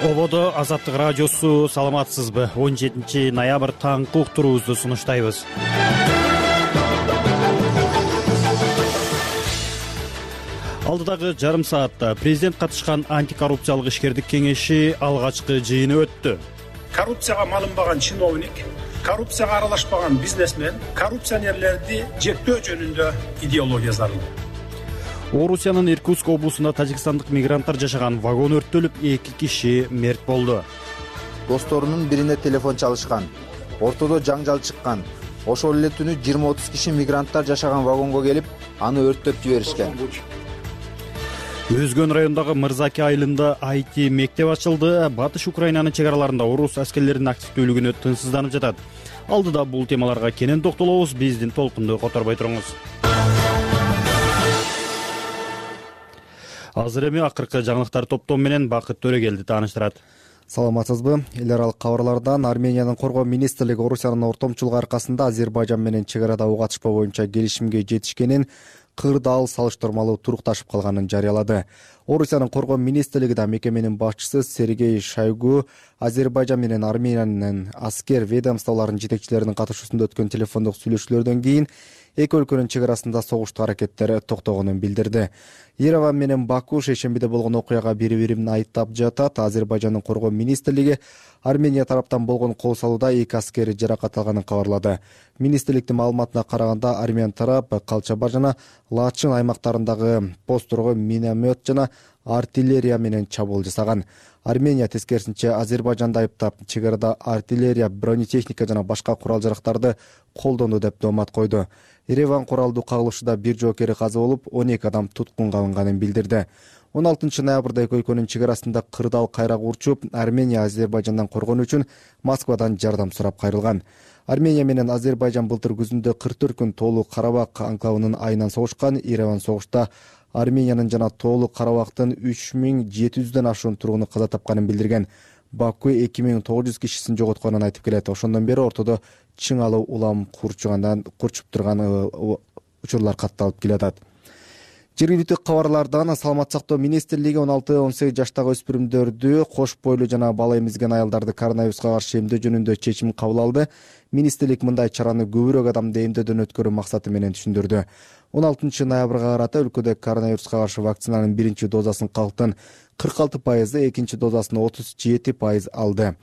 Ободо Азаттык радиосу, саламатсызбы? 17 ноябрь таңкы уктуруубузду сунуштайбыз. Алдыдагы жарым саатта президент катышкан антикоррупциялык ишкердик кеңеши алгачкы жыйыны өттү. Коррупцияга малынбаган чиновник, коррупцияга аралашпаган бизнесмен, коррупционерлерди жектөө жөнүндө идеология зарыл. Орусиянын Иркутск облусунда тажикстандык мигранттар жашаган вагон өрттөлүп, 2 киши мерт болду. Досторунун бирине телефон чалышкан, ортодо жаңжал чыккан. Ошол эле түнү 20-30 киши мигранттар жашаган вагонго келип, аны өрттөп жиберишкен. Өзгөн райондагы Мырзаки айылында IT мектеп ачылды. Батыш Украинанын чек араларында орус аскерлеринин активдүүлүгүнө тынчсызданып жатат. Алдыда бул темаларга кенен токтолобуз. Биздин толкунду которбой туруңуз. Азыр эми акыркы жаңылыктар топтому менен Бакыт Төрөгелди тааныштырат. Саламатсызбы? Эл аралык кабарлардан Армениянын коргоо министрлиги Орусиянын ортомчулугу аркасында Азербайжан менен чек арада ок атышпоо боюнча келишимге жетишкенин, кырдаал салыштырмалуу турукташып калганын жарыялады. Орусиянын коргоо министрлиги да мекеменин башчысы Сергей Шойгу Азербайжан менен Армениянын аскер ведомстволорунун жетекчилеринин катышуусунда өткөн телефондук сүйлөшүүлөрдөн кийин эки өлкөнүн чек арасында согуштуу аракеттер токтогонун билдирди. Ереван менен Баку шейшембиде болгон окуяга бири-бирин айыптап жатат. Азербайжандын коргоо министрлиги Армения тараптан болгон кол салууда 2 аскери жаракат алганын кабарлады. Министрликтин маалыматына караганда, армян тарап Калчабар жана Лачин аймактарындагы постторго миномет жана артиллерия менен чабуул жасаган. Армения тескерисинче Азербайжанды айыптап, чек арада артиллерия, бронетехника жана башка курал-жарактарды колдонду деп доомат койду. Ереван куралдуу кагылышууда 1 жоокери каза болуп, 12 адам туткунга алынганын билдирди. 16 ноябрда эки өлкөнүн чек арасында кырдаал кайрак урчуп, Армения Азербайжандан коргонуу үчүн Москвадан жардам сурап кайрылган. Армения менен Азербайжан былтыр күзүндө 44 күн Тоолуу Карабак анклавынын айынан согушкан. Ереван согушта Армениянын жана Тоолуу Карабактын 3700дөн ашуун тургуну каза тапканын билдирген. Баку 2900 кишисин жоготконун айтып келет. Ошондон бери ортодо чыңалуу улам курчуп турган учурлар катталып келатат. Жергиликтүү кабарлардан Саламат сактоо министрлиги 16-18 жаштагы өспүрүмдөрдү, кош бойлуу жана бала эмизген аялдарды коронавируска каршы эмдөө жөнүндө чечим кабыл алды. Министрлик мындай чараны көбүрөөк адамды эмдөөдөн өткөрүү максаты менен түшүндүрдү. 16 ноябрга карата өлкөдө коронавируска каршы вакцинанын биринчи дозасын калктын 46%, экинчи дозасын 37% алды.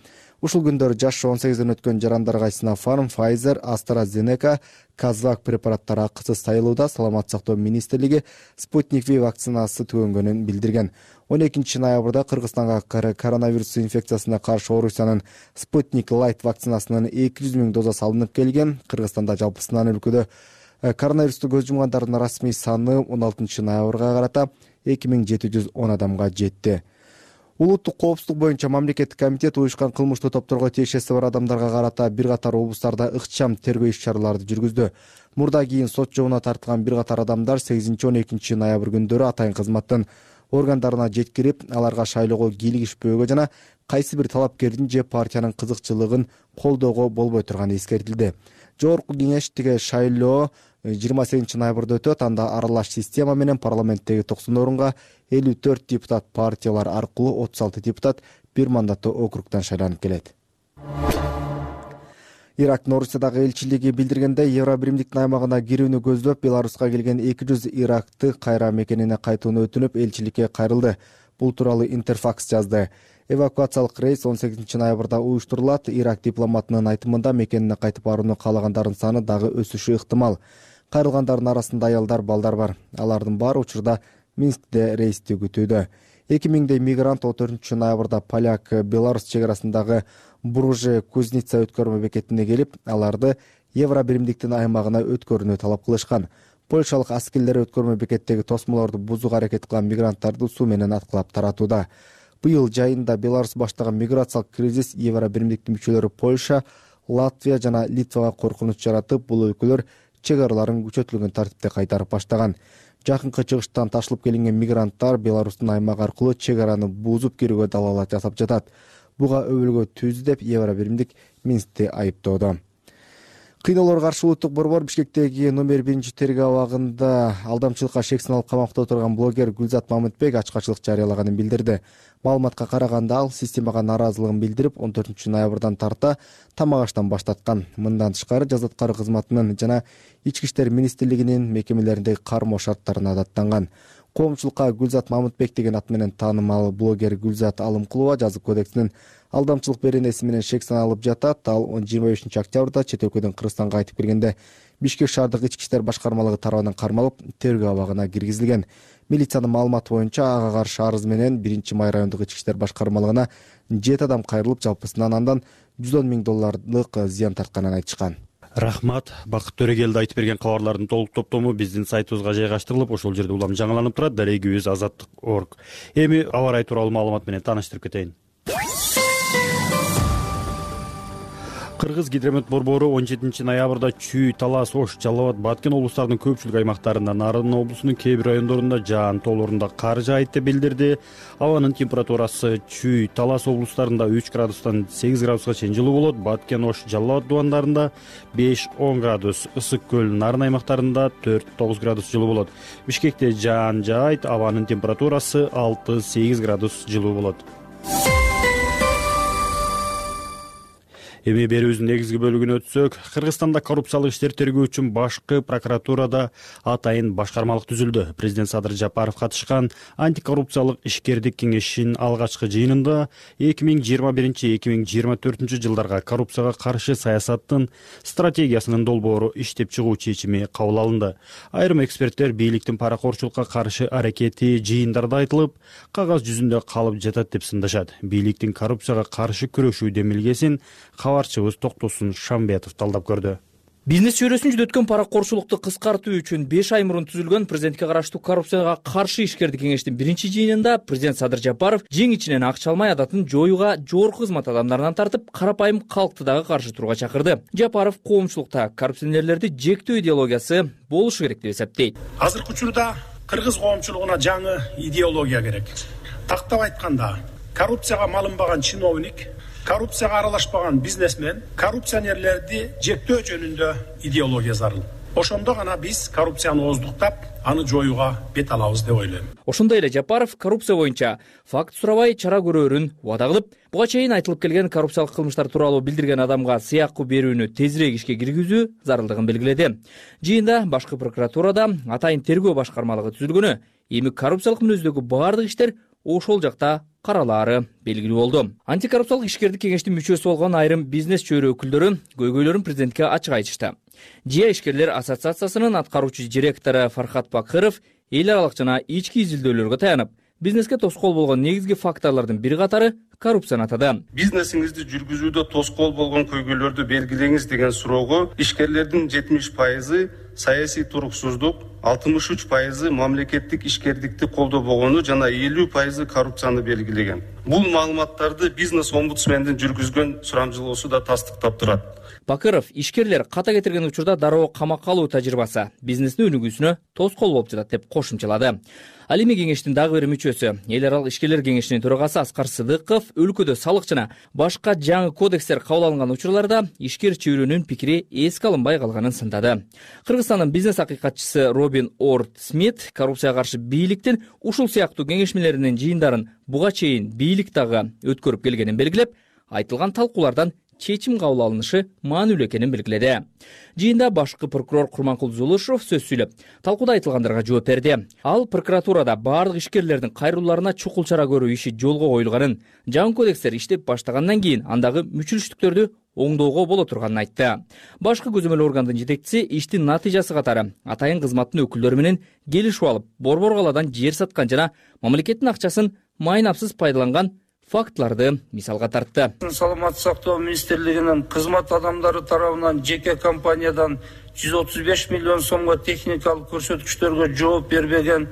Ушул күндөр жашы 18ден өткөн жарандарга Sinopharm, Pfizer, AstraZeneca, Kazvak препараттары акысыз сайылууда. Саламат сактоо министрлиги Sputnik V вакцинасы түгөнгөнүн билдирген. 12 ноябрда Кыргызстанга коронавирус инфекциясына каршы Орусиянын Sputnik Light вакцинасынын 200 000 дозасы алынып келген. Кыргызстанда жалпысынан өлкөдө коронавирусту көз жумгандардын расмий саны 16 ноябрга карата 2710 адамга жетти. Улуттук коопсуздук боюнча мамлекеттик комитет уюшкан кылмыштуу топторго тиешеси бар адамдарга карата бир катар облустарда ыкчам тергөө иш-чараларды жүргүздү. Мурда кийин сот жообуна тартылган бир катар адамдар 8-12 ноябрь күндөрү атайын кызматтын органдарына жеткирип, аларга шайлоого кийлигишпөөгө жана кайсы бир талапкердин же партиянын кызыкчылыгын колдоого болбой турганы эскертилди. Жогорку кеңеш тиге шайлоо 28 ноябрда өтөт. Анда аралаш система менен парламенттеги 90 орунга 54 депутат партиялар аркылуу 36 депутат бир мандаттуу округдан шайланып келет. Ирактын Орусиядагы элчилиги билдиргенде, Евробиримдиктин аймагына кирүүнү көздөп, Беларуска келген 200 иракты кайра мекенине кайтууну өтүнүп, элчиликке кайрылды. Бул тууралуу Интерфакс жазды. Эвакуациялык рейс 18 ноябрда уюштурулат. Ирак дипломатынын айтымында, мекенине кайтып барууну каалагандардын саны дагы өсүшү ыктымал. Кайрылгандардын арасында аялдар, балдар бар. Алардын баары учурда Минскте рейсти күтүүдө. 2000 мигрант 14 ноябрда поляк-беларус чек арасындагы Бурже-Кузница өткөрмө бекетине келип, аларды Евробиримдиктин аймагына өткөрүүнү талап кылышкан. Польшалык аскерлер өткөрмө бекеттеги тосмолорду бузууга аракет кылган мигранттарды суу менен аткылап таратууда. Быйыл жайында Беларусь баштаган миграциялык кризис Евробиримдиктин мүчөлөрү Польша, Латвия жана Литвага коркунуч жаратып, бул өлкөлөр чек араларын күчөтүлгөн тартипте кайтарып баштаган. Жакынкы чыгыштан ташылып келинген мигранттар Беларустун аймагы аркылуу чек араны буузуп кирүүгө далаалат жасап жатат. Буга өбөлгө түздү деп Евробиримдик Минскти айыптоодо. Кыйноолорго каршы улуттук борбор Бишкектеги номер 1 тергөө абагында алдамчылыкка шек саналып камакта отурган блогер Гүлзат Мамытбек ачкачылык жарыялаганын билдирди. Маалыматка караганда ал системага нааразылыгын билдирип 14 ноябрдан тарта тамак аштан баштаткан. Мындан тышкары Жаза аткаруу кызматынын жана Ички иштер министрлигинин мекемелериндеги кармоо шарттарына даттанган. Коомчулукка Гүлзат Мамытбек деген ат менен таанымал блогер Гүлзат Алымкулова жазык кодексинин алдамчылык беренеси менен шек саналып жатат. Ал 25 октябрда чет өлкөдөн Кыргызстанга кайтып келгенде Бишкек шаардык ички иштер башкармалыгы тарабынан кармалып, тергөө абагына киргизилген. Милициянын маалыматы боюнча ага каршы арыз менен 1-май райондук ички иштер башкармалыгына 7 адам кайрылып, жалпысынан андан $110,000 зыян тартканын айтышкан. Рахмат. Бакыт Төрөгелди айтып берген кабарлардын толук топтому биздин сайтыбызга жайгаштырылып, ошол жерде улам жаңыланып турат. Дарегибиз azаттык.org. Эми аба ырайы тууралуу маалымат менен тааныштырып кетейин. Кыргыз гидромет борбору 17 ноябрда Чүй, Талас, Ош, Жалал Абад, Баткен облустарынын көпчүлүк аймактарында, Нарын облусунун кээ бир райондорунда жаан тоолорунда кар жаайт деп билдирди. Абанын температурасы Чүй, Талас облустарында 3 градустан 8 градуска чейин жылуу болот. Баткен, Ош, Жалал Абад дубандарында 5-10 градус, Ысык көл, Нарын аймактарында 4-9 градус жылуу болот. Бишкекте жаан жаайт, абанын температурасы 6-8 градус жылуу болот. Эми берүүбүздүн негизги бөлүгүнө өтсөк, Кыргызстанда коррупциялык иштерди тергөө үчүн башкы прокуратурада атайын башкармалык түзүлдү. Президент Садыр Жапаров катышкан антикоррупциялык ишкердик кеңешинин алгачкы жыйынында 2021-2024 жылдарга коррупцияга каршы саясаттын стратегиясынын долбоору иштеп чыгуу чечими кабыл алынды. Айрым эксперттер бийликтин паракорчулукка каршы аракети жыйындарда айтылып, кагаз жүзүндө калып жатат деп сындашат. Бийликтин коррупцияга каршы күрөшүү демилгесин кабарчыбыз Токтосун Шамбетов талдап көрдү. Бизнес чөйрөсүн жүдөткөн паракорчулукту кыскартуу үчүн 5 ай мурун түзүлгөн президентке караштуу коррупцияга каршы ишкердик кеңештин 1-жыйынында президент Садыр Жапаров жең ичинен акча алмай адатын жоюуга жогорку кызмат адамдарынан тартып, карапайым калкты дагы каршы турууга чакырды. Жапаров коомчулукта коррупционерлерди жектөө идеологиясы болушу керек деп эсептейт. Азыркы учурда кыргыз коомчулугуна жаңы идеология керек. Тактап айтканда, коррупцияга малынбаган чиновник, коррупцияга аралашпаган бизнесмен, коррупционерлерди жектөө жөнүндө идеология зарыл. Ошондо гана биз коррупцияны ооздуктап, аны жоюуга бет алабыз деп ойлойм. Ошондой эле Жапаров коррупция боюнча факт сурабай чара көрөрүн убада кылып, буга чейин айтылып келген коррупциялык кылмыштар тууралуу билдирген адамга сыякку берүүнү тезирээк ишке киргизүү зарылдыгын белгиледи. Жыйында башкы прокуратурада атайын тергөө башкармалыгы түзүлгөнү, эми коррупциялык мүнөздөгү баардык иштер ошол жакта каралаары белгилүү болду. Антикоррупциялык ишкердик кеңештин мүчөсү болгон айрым бизнес чөйрө өкүлдөрү көйгөйлөрүн президентке ачык айтышты. ЖИА ишкерлер ассоциациясынын аткаруучу директору Фархат Бакыров эл аралык жана ички изилдөөлөргө таянып, бизнеске тоскоол болгон негизги факторлордун бири катары коррупцияны атады. Бизнесиңизди жүргүзүүдө тоскоол болгон көйгөйлөрдү белгилеңиз деген суроого ишкерлердин 70% саясий туруксуздук, 63% мамлекеттик ишкердикти колдобогону жана 50% коррупцияны белгилеген. Бул маалыматтарды бизнес омбудсмендин жүргүзгөн сурамжылоосу да тастыктап турат. Бакыров ишкерлер ката кетирген учурда дароо камакка алуу тажрыйбасы бизнестин өнүгүүсүнө тоскоол болуп жатат деп кошумчалады. Ал эми кеңештин дагы бир мүчөсү, эл аралык ишкерлер кеңешинин төрагасы Аскар Сыдыков өлкөдө салык жана башка жаңы кодекстер кабыл алынган учурларда ишкер чөйрөнүн пикири эске алынбай калганын сындады. Кыргызстандын бизнес акыйкатчысы Робин Орд Смит коррупцияга каршы бийликтин ушул сыяктуу кеңешмелеринин жыйындарын буга чейин бийлик дагы өткөрүп келгенин белгилеп, айтылган талкуулардан чечим кабыл алынышы маанилүү экенин белгиледи. Жыйында башкы прокурор Курманкул Зулушев сөз сүйлөп, талкууда айтылгандарга жооп берди. Ал прокуратурада баардык ишкерлердин кайрылууларына чукул чара көрүү иши жолго коюлганын, жаңы кодекстер иштеп баштагандан кийин андагы мүчүлүштүктөрдү оңдоого боло турганын айтты. Башкы көзөмөл органдын жетекчиси иштин натыйжасы катары атайын кызматтын өкүлдөрү менен келишип алып, борбор каладан жер саткан жана мамлекеттин акчасын майнапсыз пайдаланган фактларды мисалга тартты. Саламаттык сактоо министрлигинин кызмат адамдары тарабынан жеке компаниядан 135 миллион сомго техникалык көрсөткүчтөргө жооп бербеген,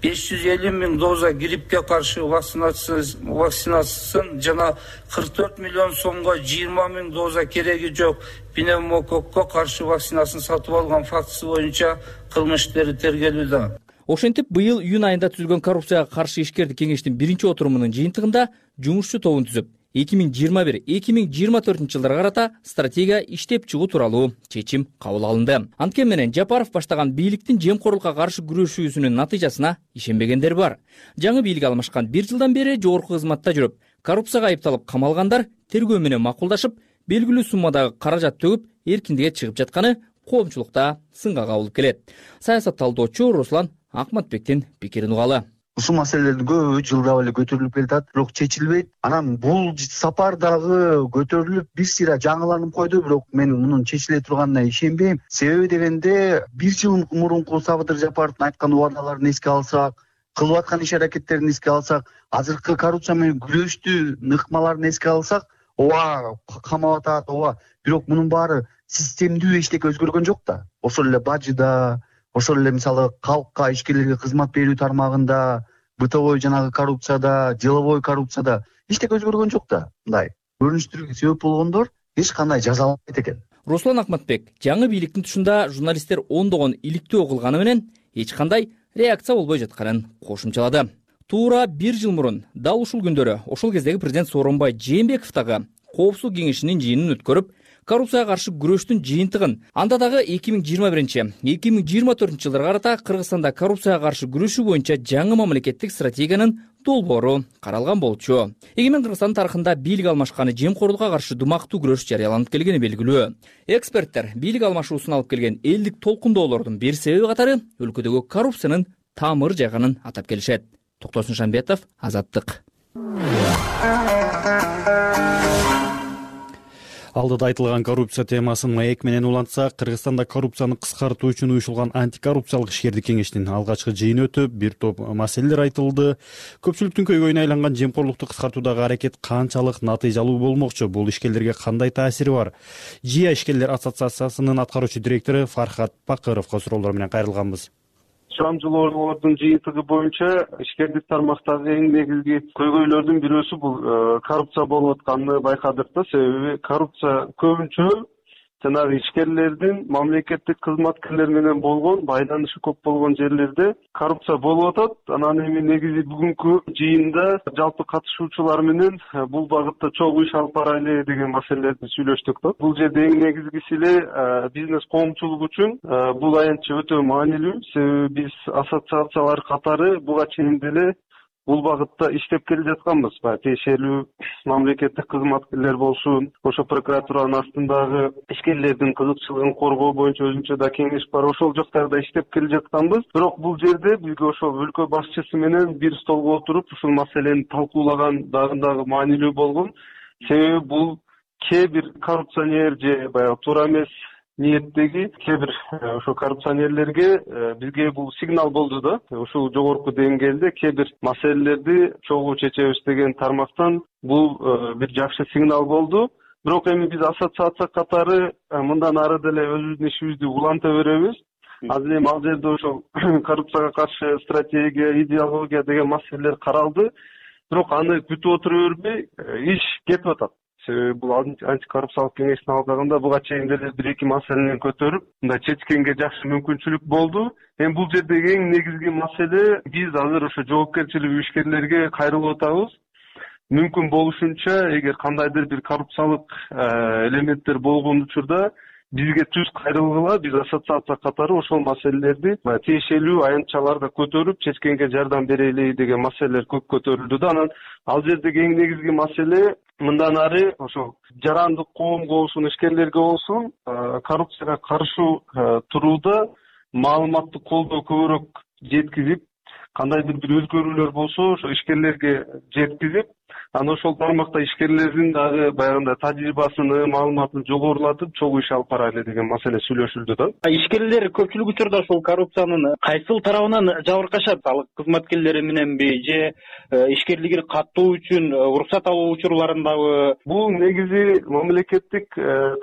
550 миң доза гриппке каршы вакцинациясын жана 44 миллион сомго 20 миң доза кереги жок пневмококко каршы вакцинасын сатып алган фактысы боюнча кылмыш иштери тергелүүдө. Ошентип, быйыл июнь айында түзүлгөн коррупцияга каршы ишкердик кеңештин 1-отурумунун жыйынтыгында жумушчу тобун түзүп, 2021-2024 жылдарга карата стратегия иштеп чыгуу тууралуу чечим кабыл алынды. Анткени менен Жапаров баштаган бийликтин жемкорлукка каршы күрөшүүсүнүн натыйжасына ишенбегендер бар. Жаңы бийлик алмашкан 1 жылдан бери жогорку кызматта жүрүп, коррупцияга айыпталып камалгандар тергөө менен макулдашып, белгилүү суммадагы каражат төгүп, эркиндикке чыгып жатканы коомчулукта сынга кабылып келет. Саясат талдоочу Руслан Акматбектин пикирин угалы. Ушул маселелердин көбү жылдап эле көтөрүлүп келатат, бирок чечилбейт. Анан бул сапар дагы көтөрүлүп бир сыйра жаңыланып койду, бирок мен мунун чечиле турганына ишенбейм. Себеби дегенде 1 жыл мурунку Сабытыр Жапаровдун айткан убадаларын эске алсак, кылып аткан иш-аракеттерин эске алсак, азыркы коррупция менен күрөштү ыкмаларын эске алсак, ооба камап атат, ооба. Бирок мунун баары системдүү эчтеке өзгөргөн жок да. Ошол эле бажыда, ошол эле мисалы калкка, ишкерлерге кызмат берүү тармагында, бытовой жанагы коррупцияда, деловой коррупцияда эчтеке өзгөргөн жок да. Мындай көрүнүштөргө себеп болгондор эч кандай жазаланбайт экен. Руслан Акматбек жаңы бийликтин тушунда журналисттер ондогон иликтөө кылганы менен эч кандай реакция болбой жатканын кошумчалады. Туура 1 жыл мурун дал ушул күндөрү ошол кездеги президент Сооронбай Жээнбеков дагы коопсуздук кеңешинин жыйынын өткөрүп, коррупцияга каршы күрөштүн жыйынтыгын, анда дагы 2021-2024 жылдарга карата Кыргызстанда коррупцияга каршы күрөшүү боюнча жаңы мамлекеттик стратегиянын долбоору каралган болчу. Эгемен Кыргызстан тарыхында бийлик алмашканы жемкорлукка каршы думактуу күрөш жарыяланып келгени белгилүү. Эксперттер бийлик алмашуусун алып келген элдик толкундоолордун бир себеби катары өлкөдөгү коррупциянын тамыр жайганын атап келишет. Токтосун Шамбетов, Азаттык. Алдыда айтылган коррупция темасын маек менен улантсак, Кыргызстанда коррупцияны кыскартуу үчүн уюшулган антикоррупциялык ишкердик кеңешинин алгачкы жыйыны өтүп, бир топ маселелер айтылды. Көпчүлүктүн көйгөйүнө айланган жемкорлукту кыскартуудагы аракет канчалык натыйжалуу болмокчу, бул ишкерлерге кандай таасири бар? ЖИА ишкерлер ассоциациясынын аткаруучу директору Фархат Бакыровго суроолор менен кайрылганбыз. Сурамжылоолордун жыйынтыгы боюнча ишкердик тармактагы эң негизги көйгөйлөрдүн бирөөсү бул коррупция болуп атканын байкадык да. Себеби коррупция көбүнчө жанагы ишкерлердин мамлекеттик кызматкерлер менен болгон байланышы көп болгон жерлерде коррупция болуп атат. Анан эми негизи бүгүнкү жыйында жалпы катышуучулар менен бул багытта чогуу иш алып барайлы деген маселелерди сүйлөштүк да. Бул жерде эң негизгиси эле бизнес коомчулук үчүн бул аянтча өтө маанилүү. Себеби биз ассоциациялар катары буга чейин деле бул багытта иштеп келе жатканбыз. Тиешелүү мамлекеттик кызматкерлер болсун, ошо прокуратуранын астындагы ишкерлердин кызыкчылыгын коргоо боюнча өзүнчө да кеңеш бар. Ошол жактарда иштеп келе жатканбыз. Бирок бул жерде бизге ошол өлкө башчысы менен бир столго отуруп ушул маселени талкуулаган дагы маанилүү болгон. Себеби бул кээ бир коррупционер же баягы туура эмес ниеттеги кээ бир ошо коррупционерлерге бизге бул сигнал болду да. Ушул жогорку деңгээлде кээ бир маселелерди чогуу чечебиз деген тармактан бул бир жакшы сигнал болду. Бирок эми биз ассоциация катары мындан ары деле өзүбүздүн ишибизди уланта беребиз. Азыр эми ал жерде ошол коррупцияга каршы стратегия, идеология деген маселелер каралды. Бирок аны күтүп отура бербей иш кетип атат. Себеби бул антикоррупциялык кеңештин алкагында буга чейин деле 1-2 маселени көтөрүп, мындай чечкенге жакшы мүмкүнчүлүк болду. Эми бул жердеги эң негизги маселе биз азыр ошо жоопкерчилиги ишкерлерге кайрылып атабыз. Мүмкүн болушунча эгер кандайдыр бир коррупциялык элементтер болгон учурда бизге түз кайрылгыла, биз ассоциация катары ошол маселелерди тиешелүү аянтчаларда көтөрүп, чечкенге жардам берели деген маселелер көп көтөрүлдү да. Анан ал жердеги эң негизги маселе мындан ары ошол жарандык коомго болсун, ишкерлерге болсун коррупцияга каршы турууда маалыматтык колдоо көбүрөөк жеткизип, кандайдыр бир өзгөрүүлөр болсо ошо ишкерлерге жеткизип, анан ошол тармакта ишкерлердин дагы баягындай тажрыйбасыны, маалыматын жогорулатып, чогуу иш алып барайлы деген маселе сүйлөшүлдү да. Ишкерлер көпчүлүк учурда ошол коррупциянын кайсыл тарабынан жабыркашат? Ал кызматкерлери мененби же ишкерлиги каттоо үчүн уруксат алуу учурларындабы? Бул негизи мамлекеттик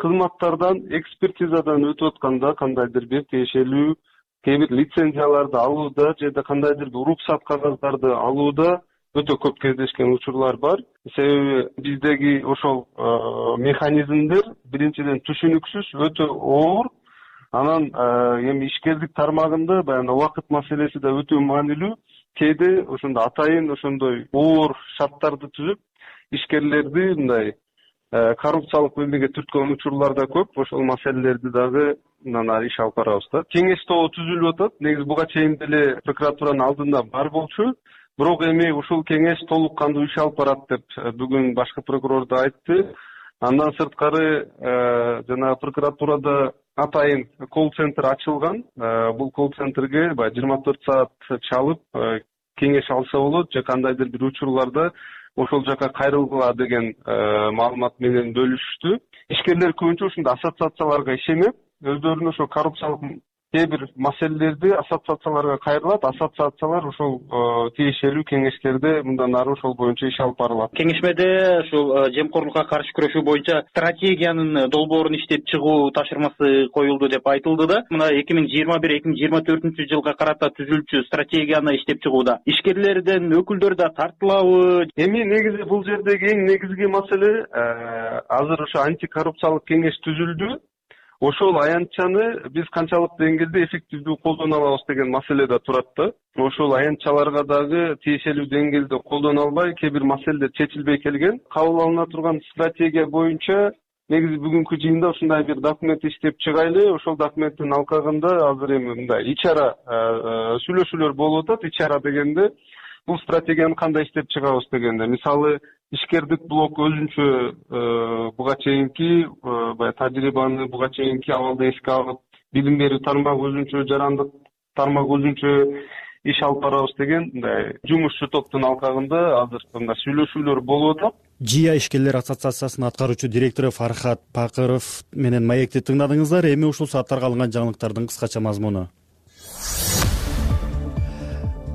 кызматтардан, экспертизадан өтүп атканда кандайдыр бир тиешелүү кээ бир лицензияларды алууда же да кандайдыр бир уруксат кагаздарды алууда өтө көп кездешкен учурлар бар. Себеби биздеги ошол механизмдер биринчиден түшүнүксүз, өтө оор. Анан эми ишкердик тармагында баягы убакыт маселеси да өтө маанилүү. Кээде ошондой атайын ошондой оор шарттарды түзүп, ишкерлерди мындай коррупциялык эмеге түрткөн учурлар да көп. Ошол маселелерди дагы мындан ары иш алып барабыз да. Кеңеш тобу түзүлүп атат. Негизи буга чейин деле прокуратуранын алдында бар болчу. Бирок эми ушул кеңеш толук кандуу иш алып барат деп бүгүн башкы прокурор да айтты. Андан сырткары жана прокуратурада атайын колл-центр ачылган. Бул колл-центрге 24 саат чалып кеңеш алса болот же кандайдыр бир учурларда ошол жака кайрылгыла деген маалымат менен бөлүшүштү. Ишкерлер көбүнчө ушундай ассоциацияларга ишенет, өздөрүнүн ошо коррупциялык кээ бир маселелерди ассоциацияларга кайрылат. Ассоциациялар ошол тиешелүү кеңештерде мындан ары ошол боюнча иш алып барылат. Кеңешмеде ушул жемкорлукка каршы күрөшүү боюнча стратегиянын долбоорун иштеп чыгуу тапшырмасы коюлду деп айтылды да. Мына 2021-2024 жылга карата түзүлчү стратегияны иштеп чыгууда ишкерлерден өкүлдөр да тартылабы? Эми негизи бул жердеги эң негизги маселе азыр ошо антикоррупциялык кеңеш түзүлдү. Ошол аянтчаны биз канчалык деңгээлде эффективдүү колдоно алабыз деген маселе да турат да. Ошол аянтчаларга дагы тиешелүү деңгээлде колдоно албай, кээ бир маселелер чечилбей келген. Кабыл алына турган стратегия боюнча негизи бүгүнкү жыйында ушундай бир документ иштеп чыгайлы. Ошол документтин алкагында азыр эми мындай ич-ара сүйлөшүүлөр болуп атат. Ич-ара дегенде бул стратегияны кандай иштеп чыгабыз дегенде, мисалы ишкердик блок өзүнчө буга чейинки баягы тажрыйбаны, буга чейинки абалды эске алып, билим берүү тармагы өзүнчө, жарандык тармак өзүнчө иш алып барабыз деген мындай жумушчу топтун алкагында азыр мындай сүйлөшүүлөр болуп атат. ЖИА ишкерлер ассоциациясынын аткаруучу директору Фархат Пакыров менен маекти тыңдадыңыздар. Эми ушул сааттарга алынган жаңылыктардын кыскача мазмуну.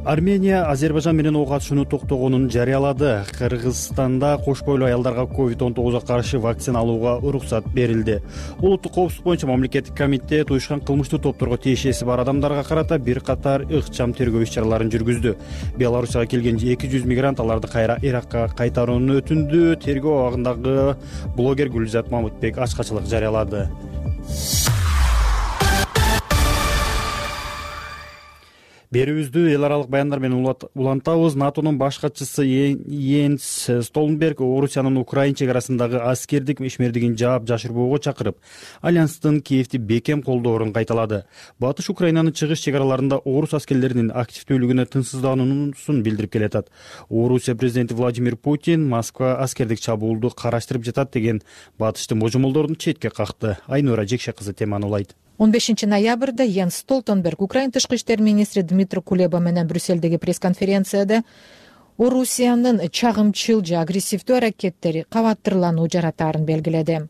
Армения Азербайжан менен ок атышууну токтогонун жарыялады. Кыргызстанда кош бойлуу аялдарга COVID-19 каршы вакцина алууга уруксат берилди. Улуттук коопсуздук боюнча мамлекеттик комитет уюшкан кылмыштуу топторго тиешеси бар адамдарга карата бир катар ыкчам тергөө иш-чараларын жүргүздү. Беларусияга келген 200 мигрант аларды кайра Иракка кайтарууну өтүндү. Тергөө абагындагы блогер Гүлзат Мамытбек ачкачылык жарыялады. Берүүбүздү эл аралык баяндар менен улантабыз. НАТОнун баш катчысы Йенс Столтенберг Орусиянын Украина чек арасындагы аскердик ишмердигин жаап жашырбоого чакырып, Альянстын Киевди бекем колдоорун кайталады. Батыш Украинанын чыгыш чек араларында орус аскерлеринин активдүүлүгүнө тынчсыздануусун билдирип келатат. Орусия президенти Владимир Путин Москва аскердик чабуулду караштырып жатат деген батыштын божомолдорун четке какты. Айнура Жекше кызы теманы улайт. 15 ноябрда Йенс Столтенберг Украина тышкы иштер министри Дмитрий Кулеба менен Брюссельдеги пресс-конференцияда Орусиянын чагымчыл же агрессивдүү аракеттери кабаттырлануу жаратаарын белгиледи.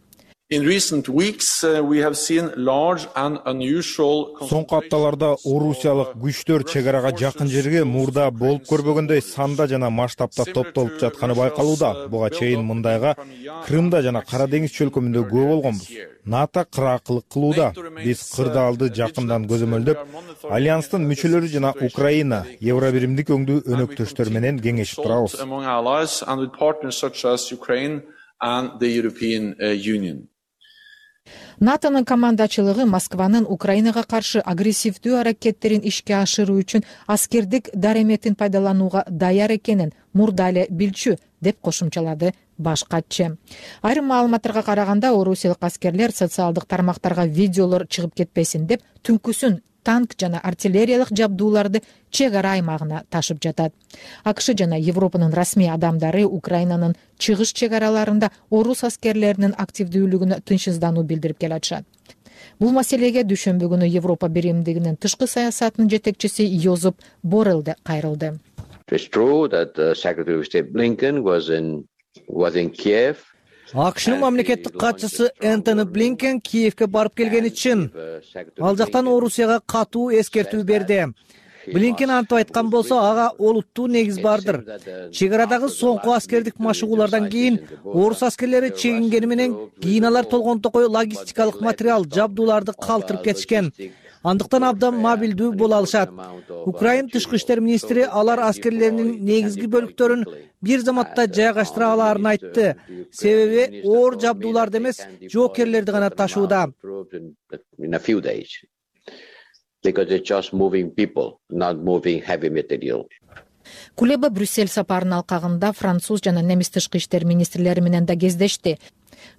Соңку апталарда орусиялык күчтөр чек арага жакын жерге мурда болуп көрбөгөндөй санда жана масштабта топтолуп жатканы байкалууда. Буга чейин мындайга Крымда жана Кара деңиз чөлкөмүндө күбө болгонбуз. НАТО кыракылык кылууда. Биз кырдаалды жакындан көзөмөлдөп, Альянстын мүчөлөрү жана Украина, Евробиримдик өңдүү өнөктөштөр менен кеңешип турабыз. НАТОнун командачылыгы Москванын Украинага каршы агрессивдүү аракеттерин ишке ашыруу үчүн аскердик дареметин пайдаланууга даяр экенин мурда эле билчү, деп кошумчалады баш катчы. Айрым маалыматтарга караганда, орусиялык аскерлер социалдык тармактарга видеолор чыгып кетпесин деп түнкүсүн танк жана артиллериялык жабдууларды чек ара аймагына ташып жатат. АКШ жана Европанын расмий адамдары Украинанын чыгыш чек араларында орус аскерлеринин активдүүлүгүнө тынчсыздануу билдирип келатышат. Бул маселеге дүйшөмбү күнү Европа биримдигинин тышкы саясатынын жетекчиси Йозеп Боррелл да кайрылды. АКШнын мамлекеттик катчысы Энтони Блинкен Киевке барып келгени чын. Ал жактан Орусияга катуу эскертүү берди. Блинкен антип айткан болсо, ага олуттуу негиз бардыр. Чек арадагы соңку аскердик машыгуулардан кийин орус аскерлери чегингени менен кийин алар толгонтокой логистикалык материал, жабдууларды калтырып кетишкен. Андыктан абдан мобилдүү боло алышат. Украина тышкы иштер министри алар аскерлеринин негизги бөлүктөрүн бир заматта жайгаштыра алаарын айтты. Себеби оор жабдууларды эмес, жоокерлерди гана ташууда. Кулеба Брюссель сапарынын алкагында француз жана немис тышкы иштер министрлери менен да кездешти.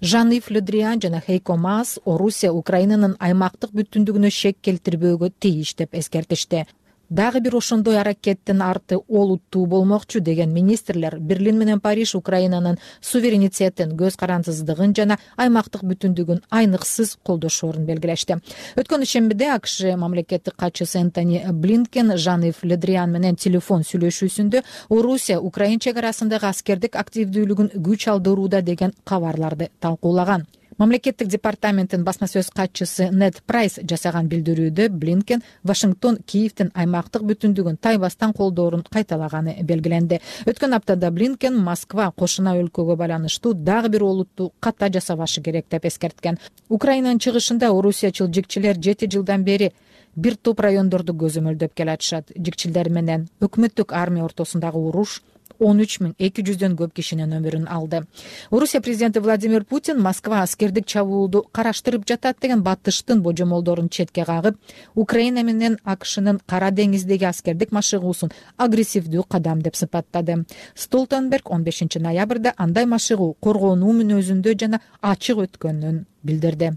Жан-Ив Ле Дриан жана Хейко Маас Орусия Украинанын аймактык бүтүндүгүнө шек келтирбөөгө тийиш деп эскертишти. Дагы бир ошондой аракеттин арты олуттуу болмокчу деген министрлер Берлин менен Париж Украинанын суверенитетин, көз карандысыздыгын жана аймактык бүтүндүгүн айныксыз колдошоорун белгилешти. Өткөн ишембиде АКШ мамлекеттик катчысы Энтони Блинкен Жан-Ив Ле Дриан менен телефон сүйлөшүүсүндө Орусия Украин чек арасындагы аскердик активдүүлүгүн күч алдырууда деген кабарларды талкуулаган. Мамлекеттик департаменттин басма сөз катчысы Нед Прайс жасаган билдирүүдө Блинкен Вашингтон Киевдин аймактык бүтүндүгүн тайбастан колдоорун кайталаганы белгиленди. Өткөн аптада Блинкен Москва кошуна өлкөгө байланыштуу дагы бир олуттуу ката жасабашы керек деп эскерткен. Украинанын чыгышында орусиячыл жикчилер 7 жылдан бери бир топ райондорду көзөмөлдөп келатышат. Жикчилер менен өкмөттүк армия ортосундагы уруш 13.200 көп кишинин өмүрүн алды. Орусия президенти Владимир Путин Москва аскердик чабуулду караштырып жатат деген батыштын божомолдорун четке кагып, Украина менен АКШнын Кара деңиздеги аскердик машыгуусун агрессивдүү кадам деп сыпаттады. Столтенберг 15 ноябрда андай машыгуу коргонуу мүнөзүндө жана ачык өткөнүн билдирди.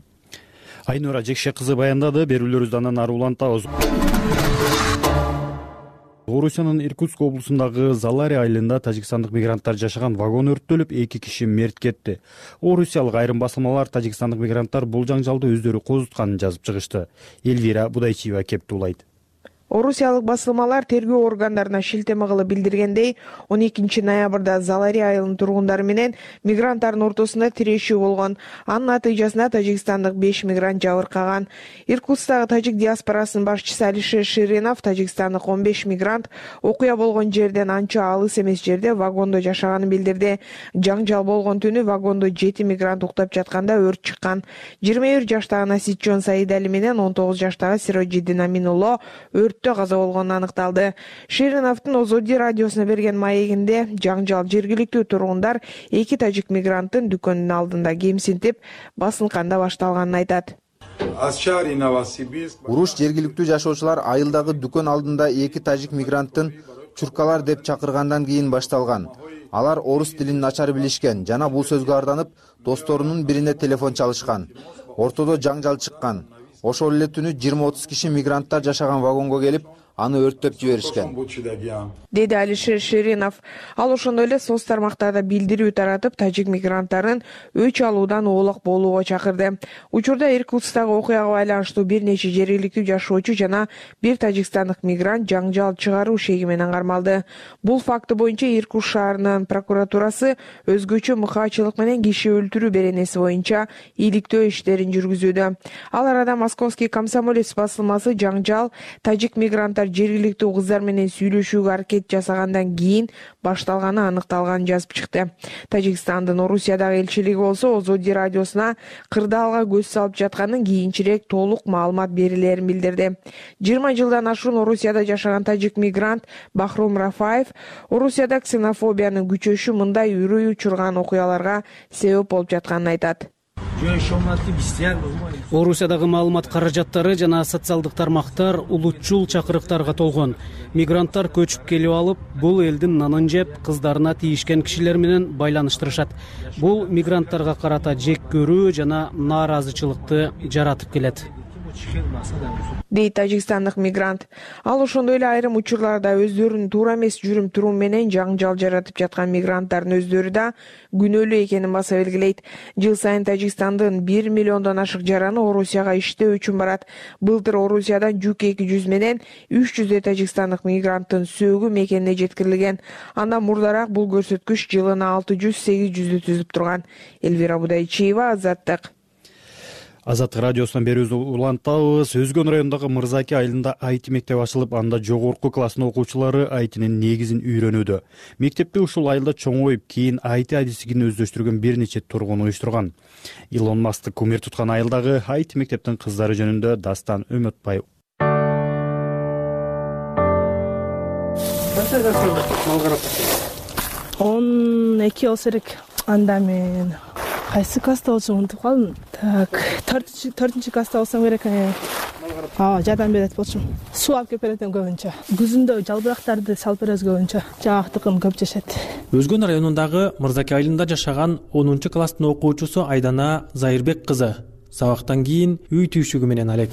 Айнура Жекше кызы баяндады. Берүүлөрүбүздү андан ары улантабыз. Орусиянын Иркутск облусундагы Залари айылында тажикстандык мигранттар жашаган вагон өрттөлүп, 2 киши мерт кетти. Орусиялык айрым басылмалар тажикстандык мигранттар бул жаңжалды өздөрү козутканын жазып чыгышты. Элвира Будайчиева кептуулайт. Орусиялык басылмалар тергөө органдарына шилтеме кылып билдиргендей, 12 ноябрда Залари айылынын тургундары менен мигранттардын ортосунда тирешүү болгон. Анын натыйжасында тажикстандык 5 мигрант жабыркаган. Иркутскдагы тажик диаспорасынын башчысы Алишер Ширинов тажикстандык 15 мигрант окуя болгон жерден анча алыс эмес жерде вагондо жашаганын билдирди. Жаңжал болгон түнү вагондо 7 мигрант уктап жатканда өрт чыккан. 21 жаштагы Наситжон Саидали менен 19 жаштагы Сироджиддин Аминулло каза болгону аныкталды. Шириновдун Озоди радиосуна берген маегинде жаңжал жергиликтүү тургундар 2 тажик мигранттын дүкөнүнүн алдында кемсинтип басынканда башталганын айтат. Уруш жергиликтүү жашоочулар айылдагы дүкөн алдында 2 тажик мигранттын чуркалар деп чакыргандан кийин башталган. Алар орус тилин начар билишкен жана бул сөзгө арданып, досторунун бирине телефон чалышкан. Ортодо жаңжал чыккан. Ошол эле түнү 20-30 киши мигранттар жашаган вагонго келип, аны өрттөп жиберишкен, деди Алишер Ширинов. Ал ошондой эле соц тармактарда билдирүү таратып, тажик мигранттарын өч алуудан оолак болууга чакырды. Учурда Иркутскдагы окуяга байланыштуу бир нече жергиликтүү жашоочу жана бир тажикстандык мигрант жаңжал чыгаруу шеги менен кармалды. Бул факты боюнча Иркутск шаарынын прокуратурасы өзгөчө мыкаачылык менен киши өлтүрүү беренеси боюнча иликтөө иштерин жүргүзүүдө. Ал арада Московский комсомолец басылмасы жаңжал тажик мигранттар жергиликтүү кыздар менен сүйлөшүүгө аракет жасагандан кийин башталганы аныкталганын жазып чыкты. Тажикстандын Орусиядагы элчилиги болсо Озоди радиосуна кырдаалга көз салып жатканын кийинчерээк толук маалымат берилерин билдирди. 20 жылдан ашуун Орусияда жашаган тажик мигрант Бахром Рафаев Орусияда ксенофобиянын күчөшү мындай үрөй учурган окуяларга себеп болуп жатканын айтат. Орусиядагы маалымат каражаттары жана социалдык тармактар улутчул чакырыктарга толгон. Мигранттар көчүп келип алып, бул элдин нанын жеп, кыздарына тийишкен кишилер менен байланыштырышат. Бул мигранттарга карата жек көрүү жана нааразычылыкты жаратып келет, дейт тажикстандык мигрант. Ал ошондой эле айрым учурларда өздөрүнүн туура эмес жүрүм-турум менен жаңжал жаратып жаткан мигранттардын өздөрү да күнөөлүү экенин баса белгилейт. Жыл сайын Тажикстандын 1 миллиондон ашык жараны Орусияга иштөө үчүн барат. Былтыр Орусиядан жүк 200 менен 300 тажикстандык мигранттын сөөгү мекенине жеткирилген. Андан мурдараак бул көрсөткүч жылына 600-800 түзүп турган. Элвира Будайчиева, Азаттык. Азаттык радиосунан берүүбүздү улантабыз. Өзгөн районундагы Мырзаки айылында IT мектеп ачылып, анда жогорку класстын окуучулары ITнин негизин үйрөнүүдө. Мектепти ушул айылда чоңоюп, кийин IT адистигин өздөштүргөн бир нече тургун уюштурган. Илон Маск кумир туткан айылдагы IT мектептин кыздары жөнүндө Дастан Өмөтбай. 12 болсо керек. Анда мен кайсы класста болчумун унутуп калдым. Так, 4-класста болсом керек. жардам берет болчумун. Суу алып келип берет көбүнчө. Күзүндө жалбырактарды салып беребиз көбүнчө. Жагактыкын көп жешет. Өзгөн районундагы Мырзаке айылында жашаган 10-класстын окуучусу Айдана Зайырбек кызы сабактан кийин үй түйшүгү менен алек.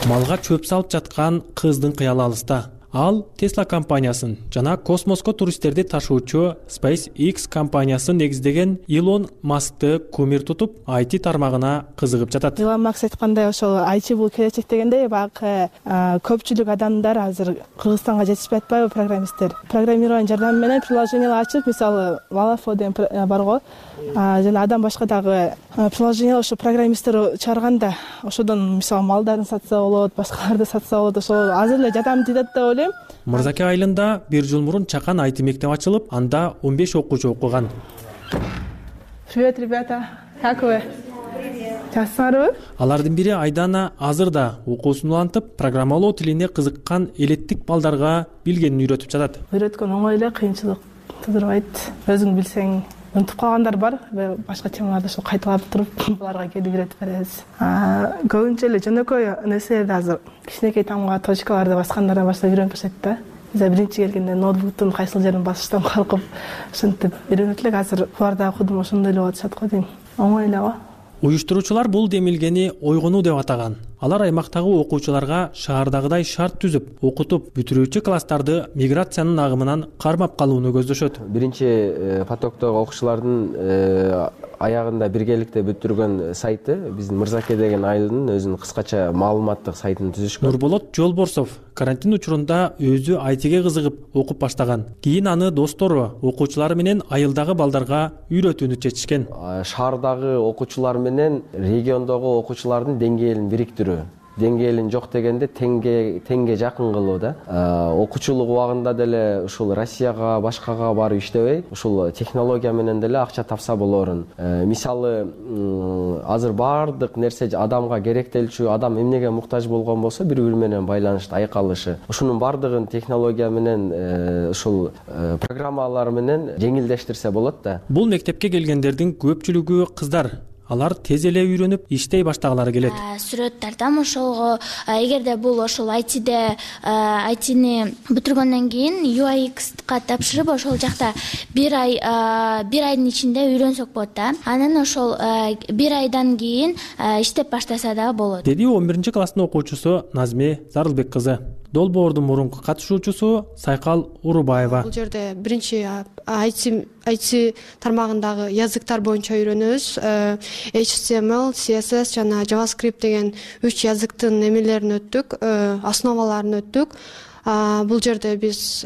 Малга чөп салып жаткан кыздын кыялы алыста. Ал Tesla компаниясын жана космоско туристтерди ташуучу SpaceX компаниясын негиздеген Илон Маскты кумир тутуп, IT тармагына кызыгып жатат. Илон Маск айткандай, ошол IT бул келечек дегендей, багы көпчүлүк адамдар азыр Кыргызстанга жетишпей атпайбы, программисттер. Программирование жардамы менен приложениялар ачып, мисалы Valafo деген бар го. Жана адам башка дагы приложение ошо программисттер чыгарганда, ошодон мисалы малдарын сатса болот, башкаларды сатса болот. Ошол азыр эле жардам тийет деп ойлойм. Мырзаке айылында 1 жыл мурун чакан IT мектеп ачылып, анда 15 окуучу окуган. Привет, ребята. Как вы? Жакшысыңарбы? Алардын бири Айдана азыр да окуусун улантып, программалоо тилине кызыккан элеттик балдарга билгенин үйрөтүп жатат. Үйрөткөн оңой эле, кыйынчылык тудурбайт. Өзүң билсең, унутуп калгандар бар, башка темаларды ошо кайталап туруп, буларга келип үйрөтүп беребиз. Көбүнчө эле жөнөкөй нерселерди азыр кичинекей тамга точкаларды баскандардан баштап үйрөнүп баштайт да. Биз биринчи келгенде ноутбуктун кайсыл жерин басыштан коркуп, ушинтип үйрөнүп элек, азыр буларда окудум, ошондой эле болуп атышат го дейм. Оңой эле го. Уюштуруучулар бул демилгени ойгонуу деп атаган. Алар аймактагы окуучуларга шаардагыдай шарт түзүп, окутуп, бүтүрүүчү класстарды миграциянын агымынан кармап калууну көздөшөт. Биринчи потоктогу окуучулардын аягында биргеликте бүтүргөн сайты биздин Мырзаке деген айылдын өзүнүн кыскача маалыматтык сайтын түзүшкөн. Нурболот Жолборсов карантин учурунда өзү айтиге кызыгып окуп баштаган. Кийин аны достору, окуучулары менен айылдагы балдарга үйрөтүүнү чечишкен. Шаардагы окуучулар менен региондогу окуучулардын деңгээлин бириктирүү. Деңгээлин жок дегенде теңге жакын кылуу да. Окуучулук убагында деле ушул Россияга, башкага барып иштебей, ушул технология менен деле акча тапса болорун. Мисалы, азыр баардык нерсе адамга керектелчү, адам эмнеге муктаж болгон болсо, бири-бири менен байланышты айкалышы. Ушунун баардыгын технология менен, ушул программалар менен жеңилдештирсе болот да. Бул мектепке келгендердин көпчүлүгү кыздар. Алар тез эле үйрөнүп, иштей баштагалары келет. Сүрөттөрдөн ошол эгерде бул ошол айтини бүтүргөндөн кийин UX-ка тапшырып, ошол жакта бир айдын ичинде үйрөнсөк болот да. Анан ошол бир айдан кийин иштеп баштаса да болот. Деди 11-класстын окуучусу Назме Зарылбек кызы. Долбоордун мурунку катышуучусу Сайкал Урубаева. Бул жерде биринчи IT тармагындагы языктар боюнча үйрөнөбүз. HTML, CSS жана JavaScript деген 3 языктын эмелерин өттүк, основаларын өттүк. Бул жерде биз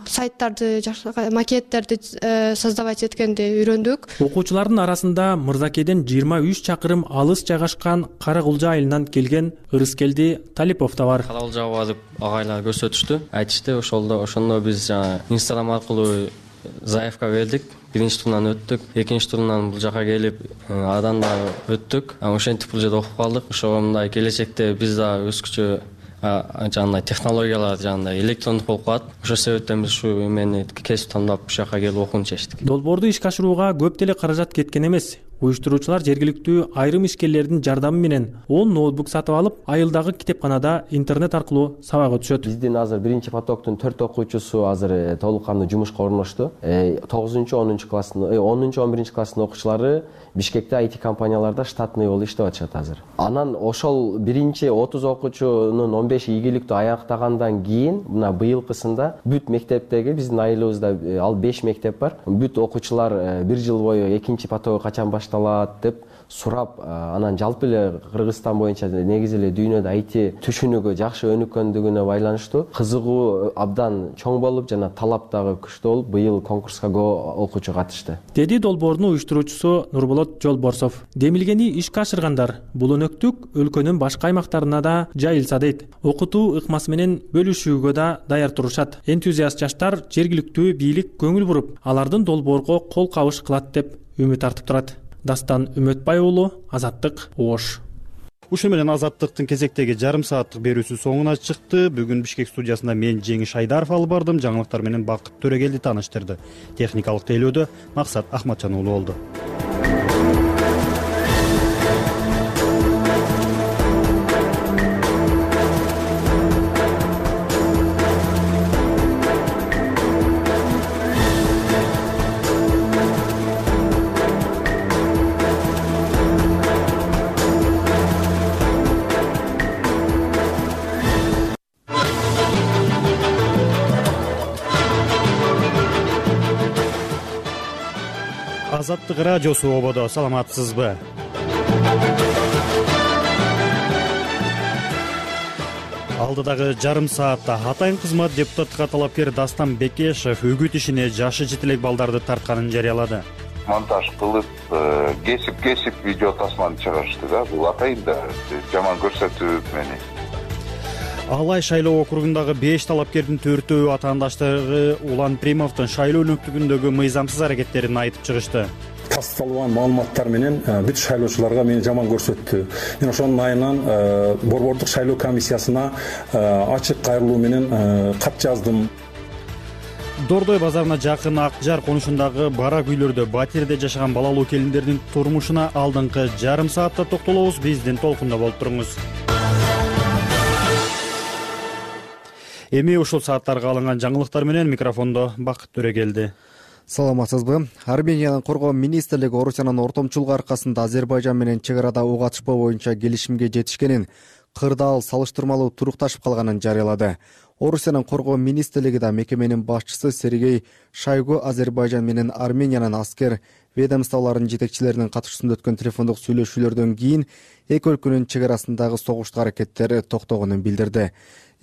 сайттарды, макеттерди создавать эткенди үйрөндүк. Окуучулардын арасында Мырзакеден 23 чакырым алыс жайгашкан Каракулжа айылынан келген Ырыскелди Талипов да бар. Каракулжага барып агайлар көрсөтүштү, айтышты. Ошондо биз Instagram аркылуу заявка бердик. Биринчи турунан өттүк, экинчи турунан бул жака келип, адан да өттүк. Ошентип бул жерде окуп калдык. Ошо мындай келечекте биз да өзгөчө жандай технологиялар, жандай электрондук болуп калат. Ошол себептен биз ушу эмени кесип тандап ушул жака келип окууну чечтик. Долбоорду ишке ашырууга көп деле каражат кеткен эмес. Уюштуруучулар жергиликтүү айрым ишкерлердин жардамы менен 10 ноутбук сатып алып, айылдагы китепканада интернет аркылуу сабак өтүшөт. Биздин азыр биринчи потоктун 4 окуучусу азыр толук кандуу жумушка орношту. 9-10 класстын, 10-11 класстын окуучулары Бишкекте IT компанияларда штатный болуп иштеп атышат азыр. Анан ошол биринчи 30 окуучунун 15 ийгиликтүү аяктагандан кийин, мына быйылкысында бүт мектептеги биздин айылыбызда ал 5 мектеп бар. Бүт окуучулар 1 жыл бою экинчи потогу качан башталат деп сурап, анан жалпы эле Кыргызстан боюнча негизи эле дүйнөдө IT түшүнүгү жакшы өнүккөндүгүнө байланыштуу кызыгуу абдан чоң болуп, жана талап дагы күчтүү болуп, быйыл конкурска окуучу катышты. Деди долбоордун уюштуруучусу Нурболот Жолборсов. Демилгени ишке ашыргандар бул өнөктүк өлкөнүн башка аймактарына да жайылса дейт. Окутуу ыкмасы менен бөлүшүүгө да даяр турушат. Энтузиаст жаштар жергиликтүү бийлик көңүл буруп, алардын долбоорго кол кабыш кылат деп үмүт артып турат. Дастан Үмөтбай уулу, Азаттык, Ош. Ушул менен Азаттыктын кезектеги жарым сааттык берүүсү соңуна чыкты. Бүгүн Бишкек студиясында мен Жеңиш Айдаров алып бардым. Жаңылыктар менен Бакыт Төрөгелди тааныштырды. Техникалык тейлөөдө Максат Ахматжан уулу болду. Азаттык радиосу ободо, саламатсызбы? Алдыдагы жарым саатта Атайын кызмат депутаттыкка талапкер Дастан Бекешев үгүт ишине жашы жетелек балдарды тартканын жарыялады. Монтаж кылып, кесип видео тасманы чыгарышты да. Бул атайын да жаман көрсөтүп мени. Алай шайлоо округундагы 5 талапкердин 4-өө атаандаштары Улан Примовдун шайлоо өнөктүгүндөгү мыйзамсыз аракеттерин айтып чыгышты. Тасталган маалыматтар менен бүт шайлоочуларга мени жаман көрсөттү. Мен ошонун айынан борбордук шайлоо комиссиясына ачык кайрылуу менен кат жаздым. Дордой базарына жакын Акжар конушундагы барак үйлөрдө батирде жашаган балалуу келиндердин турмушуна алдыңкы жарым саатта токтолобуз. Биздин толкунда болуп туруңуз. Эми ушул сааттарга алынган жаңылыктар менен микрофондо Бакыт Төрөгелди. Саламатсызбы? Армениянын коргоо министрлиги Орусиянын ортомчулугу аркасында Азербайжан менен чек арада ок атышпоо боюнча келишимге жетишкенин, кырдаал салыштырмалуу турукташып калганын жарыялады. Орусиянын коргоо министрлиги да мекеменин башчысы Сергей Шойгу Азербайжан менен Армениянын аскер ведомстволорунун жетекчилеринин катышуусунда өткөн телефондук сүйлөшүүлөрдөн кийин эки өлкөнүн чек арасындагы согуштук аракеттери токтогонун билдирди.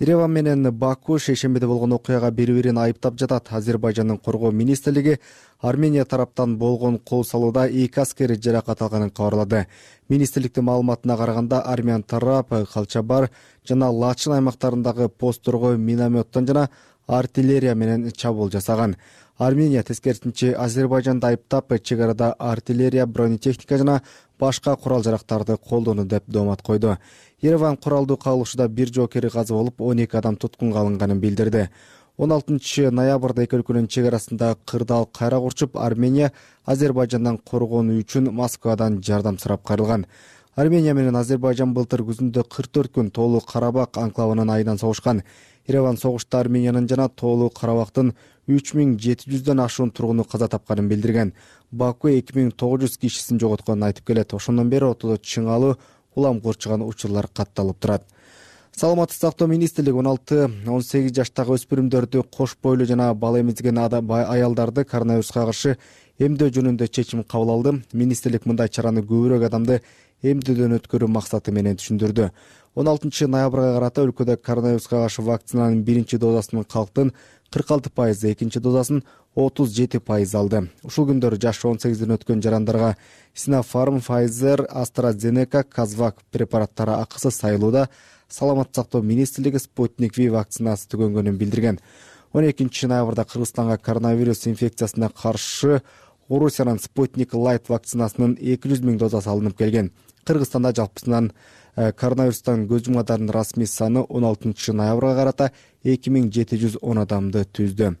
Ереван менен Баку шейшембиде болгон окуяга бири-бирин айыптап жатат. Азербайжандын коргоо министрлиги Армения тараптан болгон кол салууда 2 аскери жаракат алганын кабарлады. Министрликтин маалыматына караганда Армян тарап Калчабар жана Лачин аймактарындагы постторго минометтон жана артиллерия менен чабуул жасаган. Армения тескерисинче Азербайжанды айыптап, чек арада артиллерия, бронетехника жана башка курал-жарактарды колдонду деп доомат койду. Ереван куралдуу кагылышууда бир жоокери казып алып, 12 адам туткунга алынганын билдирди. 16 ноябрда эки өлкөнүн чек арасында кырдаал кайра курчуп, Армения Азербайжандан коргонуу үчүн Москвадан жардам сурап кайрылган. Армения менен Азербайжан былтыр күзүндө 44 күн Тоолуу Карабак анклавынын айынан согушкан. Ереван согушта Армениянын жана Тоолуу Карабактын 3700дөн ашуун тургуну каза тапканын билдирген. Баку 2900 кишисин жоготконун айтып келет. Ошондон бери ортодо чыңалуу улам курчуган учурлар катталып турат. Саламаттык сактоо министрлиги 16-18 жаштагы өспүрүмдөрдү кош бойлуу жана бала эмизген аялдарды коронавируска каршы эмдөө жөнүндө чечим кабыл алды. Министрлик мындай чараны көбүрөөк адамды эмдөөдөн өткөрүү максаты менен түшүндүрдү. 16 ноябрга карата өлкөдө коронавируска каршы вакцинанын биринчи дозасын калктын 46%, экинчи дозасын 37% алды. Ушул күндөрү жашы 18ден өткөн жарандарга Sinopharm, Pfizer, AstraZeneca, Казвак препараттары акысыз сайылууда. Саламаттык сактоо министрлиги Sputnik V вакцинасы түгөнгөнүн билдирген. 12 ноябрда Кыргызстанга коронавирус инфекциясына каршы Орусиянын Sputnik Light вакцинасынын 200 000 дозасы алынып келген. Кыргызстанда жалпысынан коронавирустан көз жумгандардын расмий саны 16 ноябрга карата 2710 адамды түздү.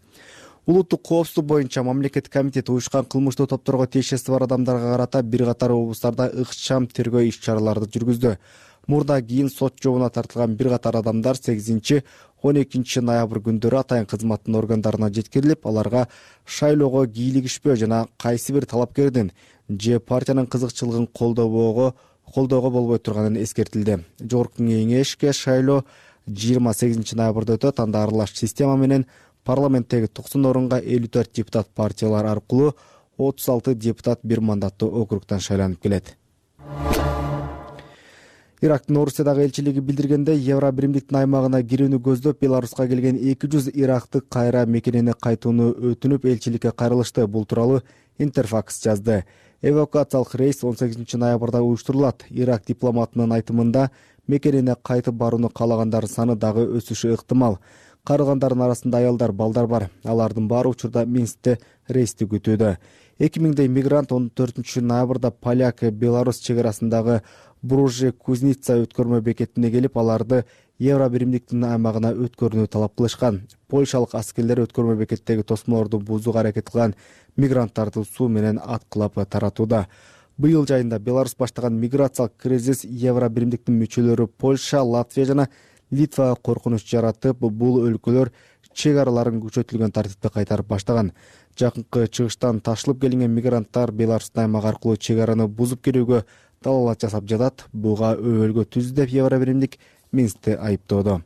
Улуттук коопсуздук боюнча мамлекеттик комитет уюшкан кылмыштуу топторго тиешеси бар адамдарга карата бир катар облустарда ыкчам тергөө иш-чараларды жүргүздү. Мурда кийин сот жообуна тартылган бир катар адамдар 8-12 ноябрь күндөрү атайын кызматтын органдарына жеткирилип, аларга шайлоого кийлигишпөө жана кайсы бир талапкердин же партиянын кызыкчылыгын колдоого болбой турганын эскертилди. Жогорку кеңешке шайлоо 28 ноябрда өтөт. Анда аралаш система менен парламенттеги 90 орунга 54 депутат партиялар аркылуу 36 депутат бир мандаттуу округтан шайланып келет. Ирактын Орусиядагы элчилиги билдиргенде, Евро биримдиктин аймагына кирүүнү көздөп Беларуска келген 200 ирактык кайра мекенене кайтууну өтүнүп элчиликке кайрылышты. Бул тууралуу Интерфакс жазды. Эвакуациялык рейс 18 ноябрда уюштурулат. Ирак дипломатынын айтымында, мекенене кайтып барууну каалагандар саны дагы өсүшү ыктымал. Кайрылгандардын арасында аялдар, балдар бар. Алардын баары учурда Минскте рейсти күтүүдө. 2000 мигрант 14 ноябрда Поляк-Беларус чек арасындагы Бружи-Кузница өткөрмө бекетине келип, аларды Евро биримдиктин аймагына өткөрүүнү талап кылышкан. Польшалык аскерлер өткөрмө бекеттеги тосмолорду бузууга аракет кылган мигранттарды суу менен аткылап таратууда. Быйыл жайында Беларусь баштаган миграциялык кризис Евро биримдиктин мүчөлөрү Польша, Латвия жана Литвага коркунуч жаратып, бул өлкөлөр чек араларын күчөтүлгөн тартипте кайтарып баштаган. Жакынкы чыгыштан ташылып келген мигранттар Беларустун аймагы аркылуу чек араны бузуп кирүүгө далалат жасап жатат. Буга өбөлгө түздү деп Евро биримдик Минскте айыптоодо.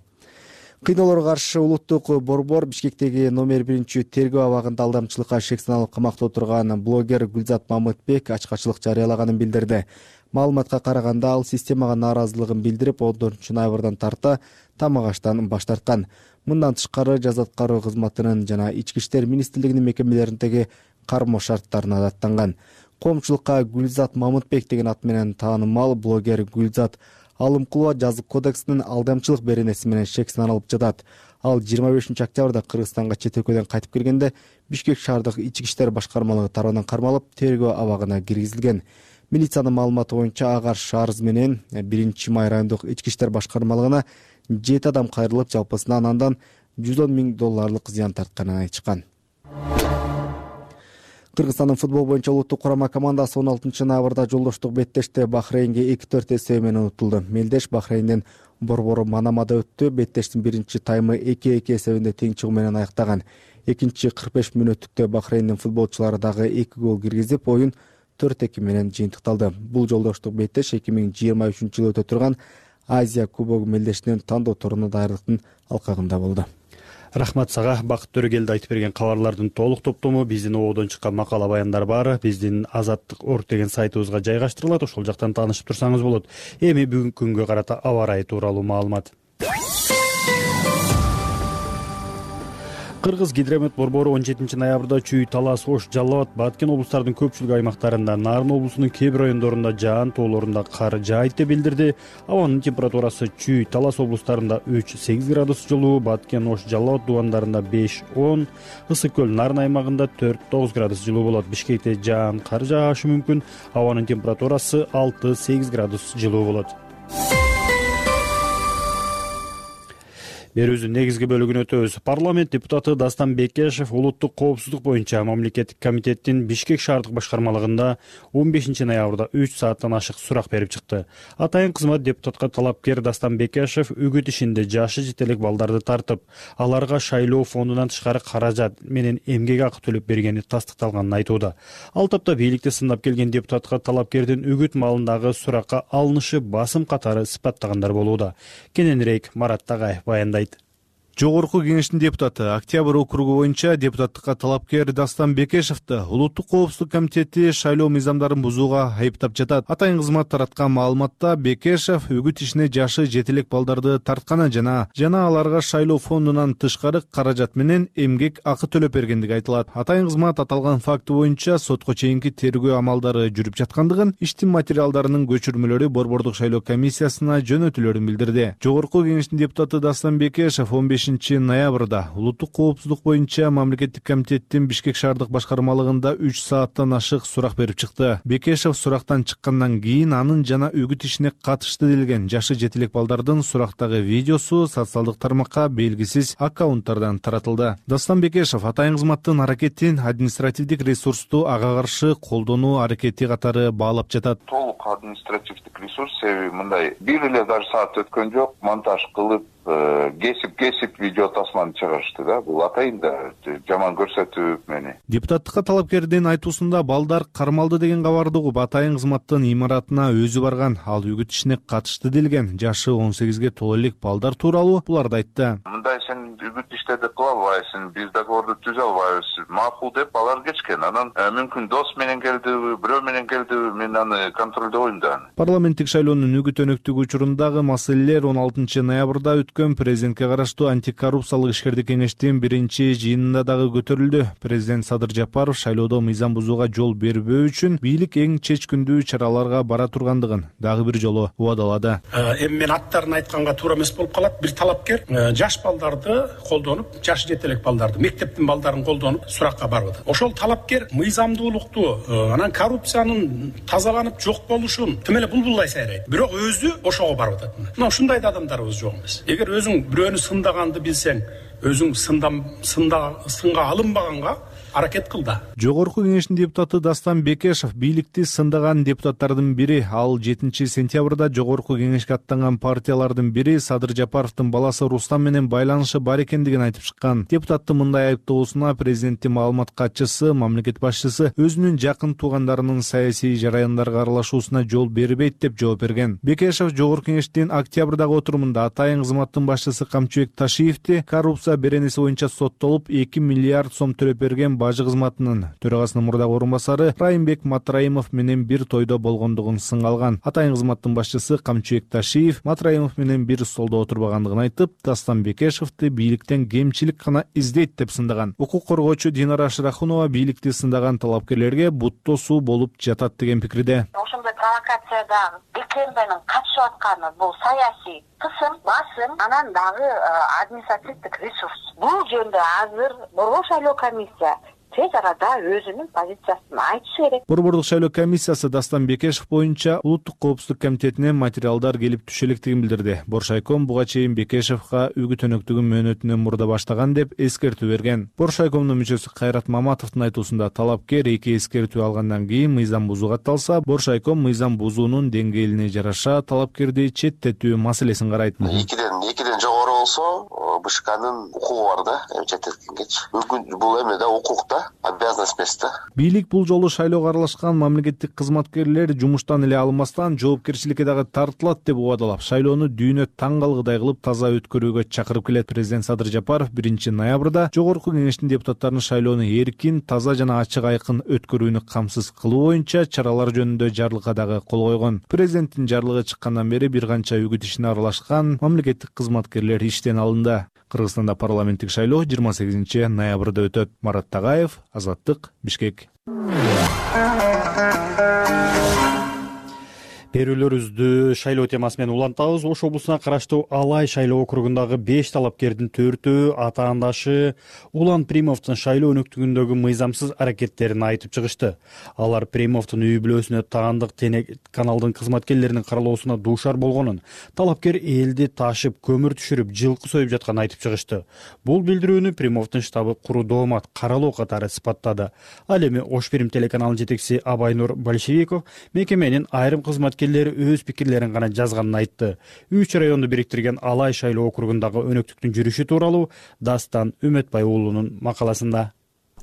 Кыйноолорго каршы улуттук борбор Бишкектеги номер 1 тергөө абагында алдамчылыкка шек саналып камакта отурган блогер Гүлзат Мамытбек ачкачылык жарыялаганын билдирди. Маалыматка караганда ал системага нааразылыгын билдирип 14-ноябрдан тарта тамак аштан баш тарткан. Мындан тышкары жаза аткаруу кызматынын жана Ички иштер министрлигинин мекемелериндеги кармоо шарттарына даттанган. Коомчулукка Гүлзат Мамытбек деген ат менен таанымал блогер Гүлзат Алымкулова жазык кодексинин алдамчылык беренеси менен шек саналып жатат. Ал 25-октябрда Кыргызстанга чет өлкөдөн кайтып келгенде Бишкек шаардык Ички иштер башкармалыгы тарабынан кармалып, тергөө абагына киргизилген. Милициянын маалыматы боюнча Агар шаарыз менен 1-Май райондук Ички иштер башкармалыгына 7 адам кайрылып, жалпысынан андан $110,000 зыян тартканын айтышкан. Кыргызстандын футбол боюнча улуттук курама командасы 16-ноябрда жолдоштук беттеште Бахрейнге 2-4 эсеби менен утулду. Мелдеш Бахрейндин борбору Манамада өттү. Беттештин биринчи таймы 2-2 эсебинде тең чыгуу менен аяктаган. Экинчи 45 мүнөттүктө Бахрейндин футболчулары дагы 2 гол киргизип, оюн 4-2 менен жыйынтыкталды. Бул жолдоштук беттеш 2023-жылы өтө турган Азия кубогу Мелдештин тандоо турунун даярдыктын алкагында болду. Рахмат сага. Бакыт Төрөгелди айтып берген кабарлардын толук топтому биздин ободон чыккан макала баяндар баары биздин Азаттык.org деген сайтыбызга жайгаштырылат. Ошол жактан таанышып турсаңыз болот. Эми бүгүнкү күнгө карата аба ырайы тууралуу маалымат. Кыргыз гидромет борбору 17-ноябрда Чүй, Талас, Ош, Жалал Абад, Баткен облустарынын көпчүлүк аймактарында, Нарын облусунун кээ бир райондорунда жаан тоолорунда кар жаайт деп билдирди. Абанын температурасы Чүй, Талас облустарында 3-8 градус жылуу, Баткен, Ош, Жалал Абад дубандарында 5-10, Ысык көл, Нарын аймагында 4-9 градус жылуу болот. Бишкекте жаан кар жаашы мүмкүн. Абанын температурасы 6-8 градус жылуу болот. Берүүбүздүн негизги бөлүгүнө өтөбүз. Парламент депутаты Дастан Бекешев улуттук коопсуздук боюнча мамлекеттик комитеттин Бишкек шаардык башкармалыгында 15-ноябрда 3 сааттан ашык сурак берип чыкты. Атайын кызмат депутатка талапкер Дастан Бекешев үгүт ишинде жашы жетелек балдарды тартып, аларга шайлоо фондунан тышкары каражат менен эмгек акы төлөп бергени тастыкталганын айтууда. Ал тапта бийликти сындап келген депутатка талапкердин үгүт маалындагы суракка алынышы басым катары сыпаттагандар болууда. Кененирээк Марат Тагаев баяндайт. Жогорку кеңештин депутаты Октябрь округу боюнча депутаттыкка талапкер Дастан Бекешевди улуттук коопсуздук комитети шайлоо мыйзамдарын бузууга айыптап жатат. Атайын кызмат тараткан маалыматта Бекешев үгүт ишине жашы жетелек балдарды тартканы жана аларга шайлоо фондунан тышкары каражат менен эмгек акы төлөп бергендиги айтылат. Атайын кызмат аталган факты боюнча сотко чейинки тергөө амалдары жүрүп жаткандыгын, иштин материалдарынын көчүрмөлөрү борбордук шайлоо комиссиясына жөнөтүлөрүн билдирди. Жогорку кеңештин депутаты Дастан Бекешев 15-ноябрда улуттук коопсуздук боюнча мамлекеттик комитеттин Бишкек шаардык башкармалыгында 3 сааттан ашык сурак берип чыкты. Бекешев сурактан чыккандан кийин анын жана үгүт ишине катышты делген жашы жетелек балдардын сурактагы видеосу социалдык тармакка белгисиз аккаунттардан таратылды. Дастан Бекешев атайын кызматтын аракетин административдик ресурсту ага каршы колдонуу аракети катары баалап жатат. Толук административдик ресурс, себеби мындай бир эле даже саат өткөн жок, монтаж кылып кесип видео тасманы чыгарышты да. Бул атайын да жаман көрсөтүү мени. Депутаттыкка талапкердин айтуусунда балдар кармалды деген кабарды угуп атайын кызматтын имаратына өзү барган. Ал үгүт ишине катышты делген жашы 18ге толо элек балдар тууралуу буларды айтты. Мындай сен үгүт иштерди кыла албайсың, биз договорду түзө албайбыз. Макул деп алар кеткен. Анан мүмкүн дос менен келдиби, бирөө менен келдиби, мен аны контролдойм да. Парламенттик шайлоонун үгүт өнөктүгү учурундагы маселелер 16-ноябрда президентке караштуу антикоррупциялык ишкердик кеңештин биринчи жыйынында дагы көтөрүлдү. Президент Садыр Жапаров шайлоодо мыйзам бузууга жол бербөө үчүн бийлик эң чечкиндүү чараларга бара тургандыгын дагы бир жолу убадалады. Эми мен аттарын айтканга туура эмес болуп калат. Бир талапкер жаш балдарды колдонуп, жашы жетелек балдарды, мектептин балдарын колдонуп суракка барып атат. Ошол талапкер мыйзамдуулукту, анан коррупциянын тазаланып жок болушун тим эле булбулдай сайрайт. Бирок өзү ошого барып атат. Мына ушундай да адамдарыбыз жок эмес. Эгер өзүң бирөөнү сындаганды билсең, өзүң сынга алынбаганга аракет кылды. Жогорку кеңештин депутаты Дастан Бекешев бийликти сындаган депутаттардын бири. Ал 7 сентябрда жогорку кеңешке аттанган партиялардын бири Садыр Жапаровдун баласы Рустам менен байланышы бар экендигин айтып чыккан. Депутаттын мындай айыптоосуна президенттин маалымат катчысы, мамлекет башчысы өзүнүн жакын туугандарынын саясий жараяндарга аралашуусуна жол бербейт деп жооп берген. Бекешев жогорку кеңештин октябрдагы отурумунда атайын кызматтын башчысы Камчыбек Ташиевди коррупция беренеси боюнча соттолуп 2 миллиард сом төлөп берген бажы кызматынын төрагасынын мурдагы орун басары Райымбек Матраимов менен бир тойдо болгондугун сынга алган. Атайын кызматтын башчысы Камчыбек Ташиев Матраимов менен бир столдо отурбагандыгын айтып, Дастан Бекешевди бийликтен кемчилик гана издейт деп сындаган. Укук коргоочу Динара Шырахунова бийликти сындаган талапкерлерге буттосуу болуп жатат деген пикирде. Ошондой провокацияда БКМ менен катышып атканы бул саясий кысым, басым, анан дагы административдик ресурс. Бул жөнүндө азыр Борбор шайлоо комиссия тез арада өзүнүн позициясын айтышы керек. Борбордук шайлоо комиссиясы Дастан Бекешев боюнча Улуттук коопсуздук комитетинен материалдар келип түшө электигин билдирди. Боршайком буга чейин Бекешевга үгүт өнөктүгүн мөөнөтүнөн мурда баштаган деп эскертүү берген. Боршайкомдун мүчөсү Кайрат Маматовдун айтуусунда талапкер 2 эскертүү алгандан кийин мыйзам бузууга катталса, Боршайком мыйзам бузуунун деңгээлине жараша талапкерди четтетүү маселесин карайт. Экиден жогору болсо, БШКнын укугу бар да, четтеткенгечи. Бул эме да укукта, обязанность эмес да. Бийлик бул жолу шайлоого аралашкан мамлекеттик кызматкерлер жумуштан эле алынмастан жоопкерчиликке дагы тартылат деп убадалап, шайлоону дүйнө таң калгыдай кылып таза өткөрүүгө чакырып келет. Президент Садыр Жапаров 1 ноябрда жогорку кеңештин депутаттарын шайлоону эркин, таза жана ачык айкын өткөрүүнү камсыз кылуу боюнча чаралар жөнүндө жарлыкка дагы кол койгон. Президенттин жарлыгы чыккандан бери бир канча үгүт ишине аралашкан мамлекеттик кызматкерлер иштен алынды. Кыргызстанда парламенттик шайлоо 28 ноябрда өтөт. Марат Тагаев, Азаттык, Бишкек. Берүүлөрүбүздү шайлоо темасы менен улантабыз. Ош облусуна караштуу Алай шайлоо округундагы 5 талапкердин 4-өө атаандашы Улан Примовдун шайлоо өнөктүгүндөгү мыйзамсыз аракеттерин айтып чыгышты. Алар Примовдун үй бүлөсүнө таандык каналдын кызматкерлеринин каралоосуна дуушар болгонун, талапкер элди ташып, көмүр түшүрүп, жылкы союп жатканын айтып чыгышты. Бул билдирүүнү Примовдун штабы куру доомат каралоо катары сыпаттады. Ал эми Ош Прим телеканалынын жетекчиси Абайнур Большевиков мекеменин айрым кызматкерлери өз пикирлерин гана жазганын айтты. 3 районду бириктирген Алай шайлоо округундагы өнөктүктүн жүрүшү тууралуу Дастан Үмөтбай уулунун макаласында.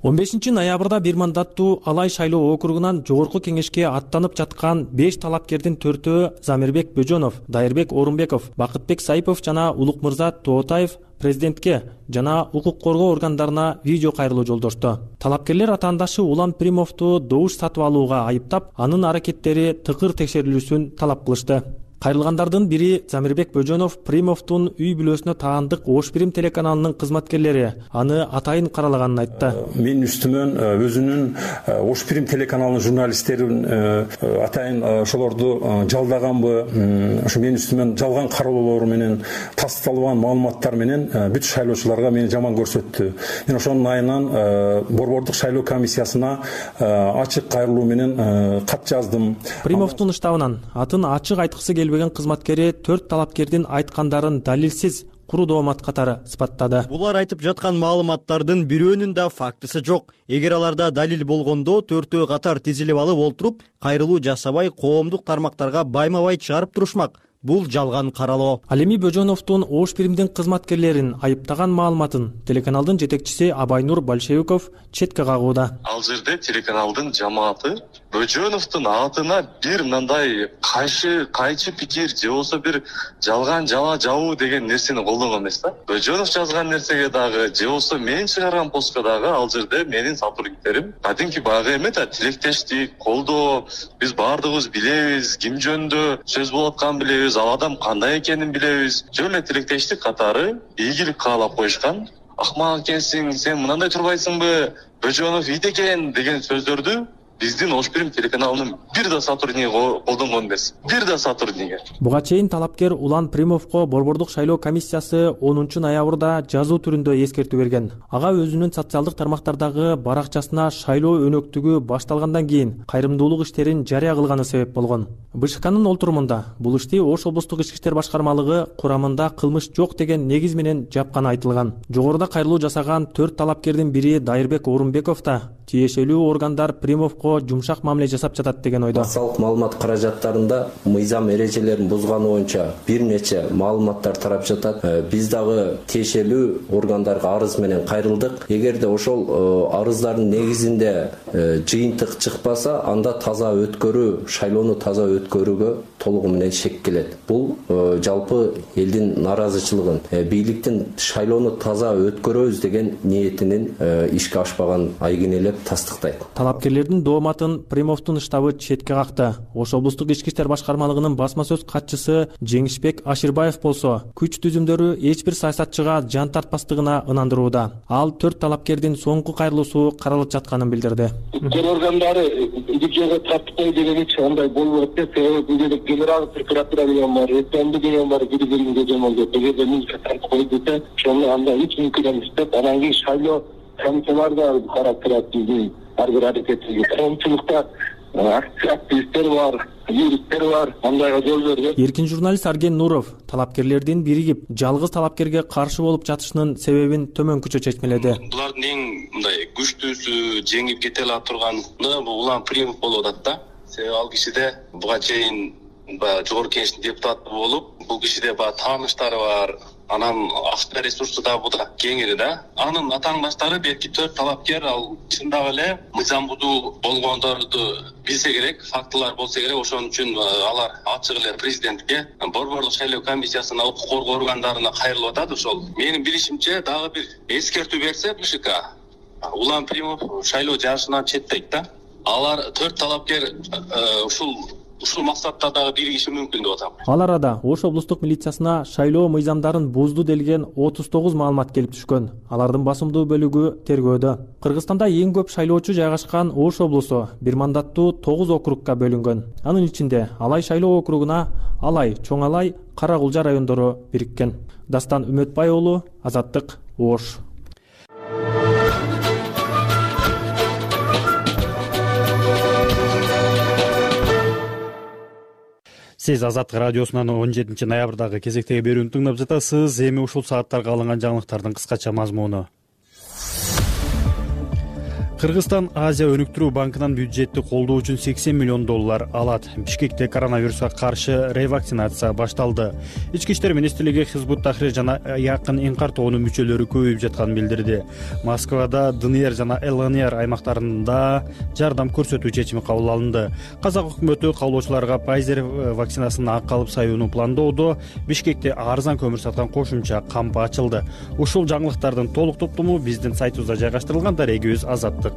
15 ноябрда бир мандаттуу Алай шайлоо округунан жогорку кеңешке аттанып жаткан 5 талапкердин 4-өө Замирбек Бөжөнов, Дайырбек Орунбеков, Бакытбек Сайпов жана Улукмырза Тоотаев президентке жана укук коргоо органдарына видео кайрылуу жолдошту. Талапкерлер атаандашы Улан Примовду добуш сатып алууга айыптап, анын аракеттери тыкыр текшерилүүсүн талап кылышты. Кайрылгандардын бири Замирбек Бөжөнов Примовдун үй бүлөсүнө таандык Ош Прим телеканалынын кызматкерлери аны атайын каралаганын айтты. Менин үстүмөн өзүнүн Ош Прим телеканалынын журналисттерин атайын ошолорду жалдаганбы, ошо менин үстүмөн жалган кароолор менен тасталган маалыматтар менен бүт шайлоочуларга мени жаман көрсөттү. Мен ошонун айынан Борбордук шайлоо комиссиясына ачык кайрылуу менен кат жаздым. Примовдун штабынан атын ачык айткысы келбеген кызматкери 4 талапкердин айткандарын далилсиз куру доомат катары сыпаттады. Булар айтып жаткан маалыматтардын бирөөнүн да фактысы жок. Эгер аларда далил болгондо 4-өө катар тизилип алып олтуруп, кайрылуу жасабай, коомдук тармактарга байма-бай чыгарып турушмак. Бул жалган каралоо. Ал эми Бөжөновдун Ош Примдин кызматкерлерин айыптаган маалыматын телеканалдын жетекчиси Абайнур Большевиков четке кагууда. Ал жерде телеканалдын жамааты Бөжөновдун атына бир мындай кайчы пикир же болбосо бир жалган жала жабуу деген нерсени колдонгон эмес да. Бөжөнов жазган нерсеге дагы же болбосо мен чыгарган постко дагы ал жерде менин сотрудниктерим кадимки баягы эме да, тилектештик, колдоо, биз баардыгыбыз билебиз, ким жөнүндө сөз болуп атканын билебиз, ал адам кандай экенин билебиз. Жөн эле тилектештик катары ийгилик каалап коюшкан. Акмак экенсиң, сен мынандай турбайсыңбы, Бөжөнов ит экен деген сөздөрдү биздин Ош Пирим телеканалынын бир да сотрудниги колдонгон эмес. Бир да сотрудниги. Буга чейин талапкер Улан Примовго борбордук шайлоо комиссиясы 10 ноябрда жазуу түрүндө эскертүү берген. Ага өзүнүн социалдык тармактардагы баракчасына шайлоо өнөктүгү башталгандан кийин кайрымдуулук иштерин жарыя кылганы себеп болгон. БШКнын олтурумунда бул ишти Ош облустук ички иштер башкармалыгы курамында кылмыш жок деген негиз менен жапканы айтылган. Жогоруда кайрылуу жасаган 4 талапкердин бири Дайырбек Орунбеков да тиешелүү органдар Примовго жумшак мамиле жасап жатат деген ойдо. Массалык маалымат каражаттарында мыйзам эрежелерин бузганы боюнча бир нече маалыматтар тарап жатат. Биз дагы тиешелүү органдарга арыз менен кайрылдык. Эгерде ошол арыздардын негизинде жыйынтык чыкпаса, анда таза өткөрүү, шайлоону таза өткөрүүгө толугу менен шек келет. Бул жалпы элдин наразычылыгын, бийликтин шайлоону таза өткөрөбүз деген ниетинин ишке ашпаган айгинелеп тастыктайт. Талапкерлердин дооматын Примовдун штабы четке какты. Ош облустук ички иштер башкармалыгынын басма сөз катчысы Жеңишбек Аширбаев болсо, күч түзүмдөрү эч бир саясатчыга жан тартпастыгына ынандырууда. Ал 4 талапкердин соңку кайрылуусу каралып жатканын билдирди. Өткөр органдары бюджетке тартпай деген эч андай болбойт деп, себеби генерал прокуратура деген бар, СМД деген бар, бири-биринге жомолдоп, эгерде милиция тартпай десе, ошону анда эч мүмкүн эмес деп, анан кийин шайлоо комиссиялар да карап турат биздин ар бир аракетибизге. Коомчулукта активисттер бар, юристтер бар, андайга жол бербейт. Эркин журналист Арген Нуров талапкерлердин биригип, жалгыз талапкерге каршы болуп жатышынын себебин төмөнкүчө чечмеледи. Булардын эң мындай күчтүүсү, жеңип кете ала турганы бул Улан Примов болуп атат да. Себеби ал кишиде буга чейин жогорку кеңештин депутаты болуп, бул кишиде тааныштары бар, анан акча ресурсу да буда кеңири да. Анын атаандаштары белки 4 талапкер ал чындап эле мыйзам бузуу болгондорду билсе керек, фактылар болсо керек. Ошон үчүн алар ачык эле президентке, борборлук шайлоо комиссиясына, укук коргоо органдарына кайрылып атат. Ошол менин билишимче дагы бир эскертүү берсе БШК, Улан Примов шайлоо жарышынан четтейт да. Алар 4 талапкер ушул максатта дагы биригиши мүмкүн деп атам. Ал арада Ош облустук милициясына шайлоо мыйзамдарын бузду делген 39 маалымат келип түшкөн. Алардын басымдуу бөлүгү тергөөдө. Кыргызстанда эң көп шайлоочу жайгашкан Ош облусу бир мандаттуу 9 округга бөлүнгөн. Анын ичинде Алай шайлоо округуна Алай, Чоң Алай, Кара Кулжа райондору бириккен. Дастан Үмөтбай уулу, Азаттык, Ош. Сиз Азаттык радиосунан 17 ноябрдагы кезектеги берүүнү тыңдап жатасыз. Эми ушул сааттарга алынган жаңылыктардын кыскача мазмуну. Кыргызстан Азия өнүктүрүү банкынан бюджетти колдоо үчүн $80 миллион алат. Бишкекте коронавируска каршы ревакцинация башталды. Ички иштер министрлиги Хизбут Тахрир жана Якын Инкар тобунун мүчөлөрү көбөйүп жатканын билдирди. Москвада ДНР жана ЛНР аймактарында жардам көрсөтүү чечими кабыл алынды. Казак өкмөтү каалоочуларга Pfizer вакцинасын акы алып саюуну пландоодо. Бишкекте арзан көмүр саткан кошумча кампы ачылды. Ушул жаңылыктардын толук топтому биздин сайтыбызда жайгаштырылган. Дарегибиз Азаттык.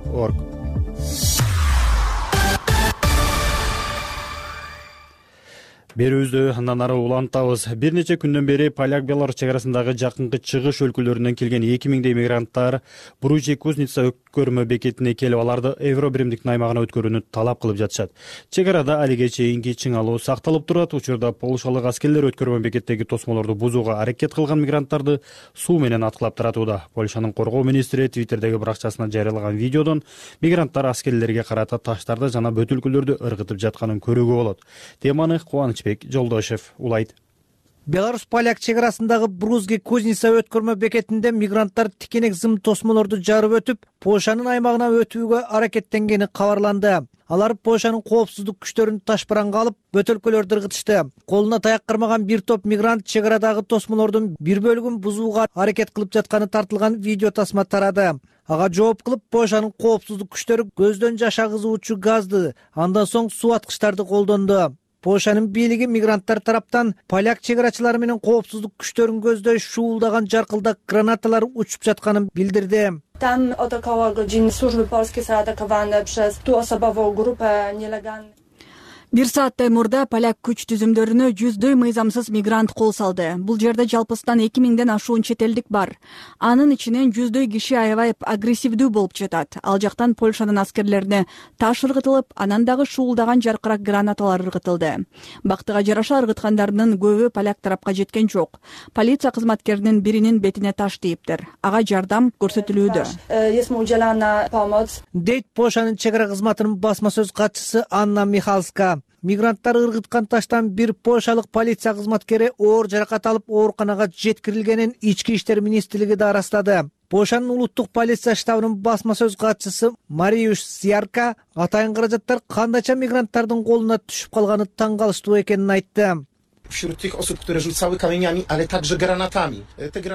Берүүбүздү андан ары улантабыз. Бир нече күндөн бери Поляк-Беларусь чек арасындагы жакынкы чыгыш өлкөлөрүнөн келген 2000 мигранттар Буружи-Кузница өткөрмө бекетине келип, аларды Евробиримдиктин аймагына өткөрүүнү талап кылып жатышат. Чек арада алиге чейинки чыңалуу сакталып турат. Учурда полушалык аскерлер өткөрмө бекеттеги тосмолорду бузууга аракет кылган мигранттарды суу менен аткылап таратууда. Польшанын коргоо министри Твиттердеги баракчасына жарыялаган видеодон мигранттар аскерлерге карата таштарды жана бөтөлкөлөрдү ыргытып жатканын көрүүгө болот. Теманы Кубанычбек Жолдошев улайт. Беларусь-Поляк чек арасындагы Буружи-Кузница өткөрмө бекетинде мигранттар тикенек зым тосмолорду жарып өтүп, Польшанын аймагына өтүүгө аракеттенгени кабарланды. Алар Польшанын коопсуздук күчтөрүн ташпаранга алып, бөтөлкөлөрдү ыргытышты. Колуна таяк кармаган бир топ мигрант чек арадагы тосмолордун бир бөлүгүн бузууга аракет кылып жатканы тартылган видео тасма тарады. Ага жооп кылып, Польшанын коопсуздук күчтөрү көздөн жаш агызуучу газды, андан соң суу аткычтарды колдонду. Польшанын бийлиги мигранттар тараптан поляк чек арачылары менен коопсуздук күчтөрүн көздөй шуулдаган жаркылдак гранаталар учуп жатканын билдирди. Tam od około godziny służby polskie zaatakowane przez tu osobową grupę nielegalnych. 1 сааттай мурда поляк күч түзүмдөрүнө жүздөй мыйзамсыз мигрант кол салды. Бул жерде жалпысынан 2000ден ашуун чет элдик бар. Анын ичинен жүздөй киши аябай агрессивдүү болуп жатат. Ал жактан Польшанын аскерлерине таш ыргытылып, анан дагы шуулдаган жаркырак гранаталар ыргытылды. Бактыга жараша ыргыткандардын көбү поляк тарапка жеткен жок. Полиция кызматкеринин биринин бетине таш тийиптир. Ага жардам көрсөтүлүүдө. Дейт Польшанын чек ара кызматынын басма сөз катчысы Анна Михалска. Мигранттар ыргыткан таштан бир польшалык полиция кызматкери оор жаракат алып ооруканага жеткирилгенин Ички иштер министрлиги да ырастады. Польшанын улуттук полиция штабынын басма сөз катчысы Мариуш Сиярка атайын каражаттар кандайча мигранттардын колуна түшүп калганы таң калыштуу экенин айтты.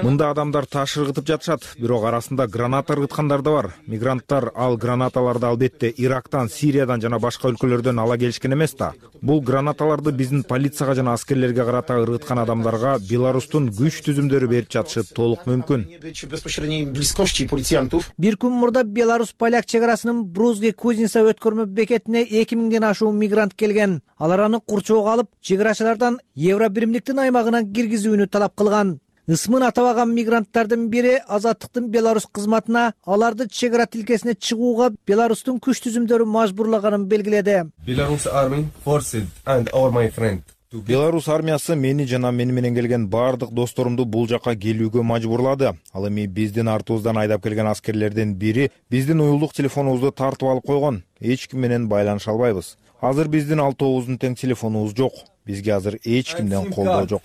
Мында адамдар таш ыргытып жатышат, бирок арасында граната ыргыткандар да бар. Мигранттар ал гранаталарды албетте Ирактан, Сириядан жана башка өлкөлөрдөн ала келишкен эмес да. Бул гранаталарды биздин полицияга жана аскерлерге карата ыргыткан адамдарга Беларустун күч түзүмдөрү берип жатышы толук мүмкүн. Бир күн мурда Беларусь поляк чек арасынын Брузге-Кузница өткөрмө бекетине 2000ден ашуун мигрант келген. Алар аны курчоого алып, чек арачылардан Евробиримдиктин аймагына киргизүүнү талап кылган. Ысмын атабаган мигранттардын бири Азаттыктын Беларусь кызматына аларды чек ара тилкесине чыгууга Беларустун күч түзүмдөрү мажбурлаганын белгиледи. Беларусь армиясы мени жана мени менен келген бардык досторумду бул жака келүүгө мажбурлады. Ал эми биздин артыбыздан айдап келген аскерлерден бири биздин уюлдук телефонубузду тартып алып койгон. Эч ким менен байланыша албайбыз. Азыр биздин 6-9 тең телефонубуз жок. Бизге азыр эч кимден колдоо жок.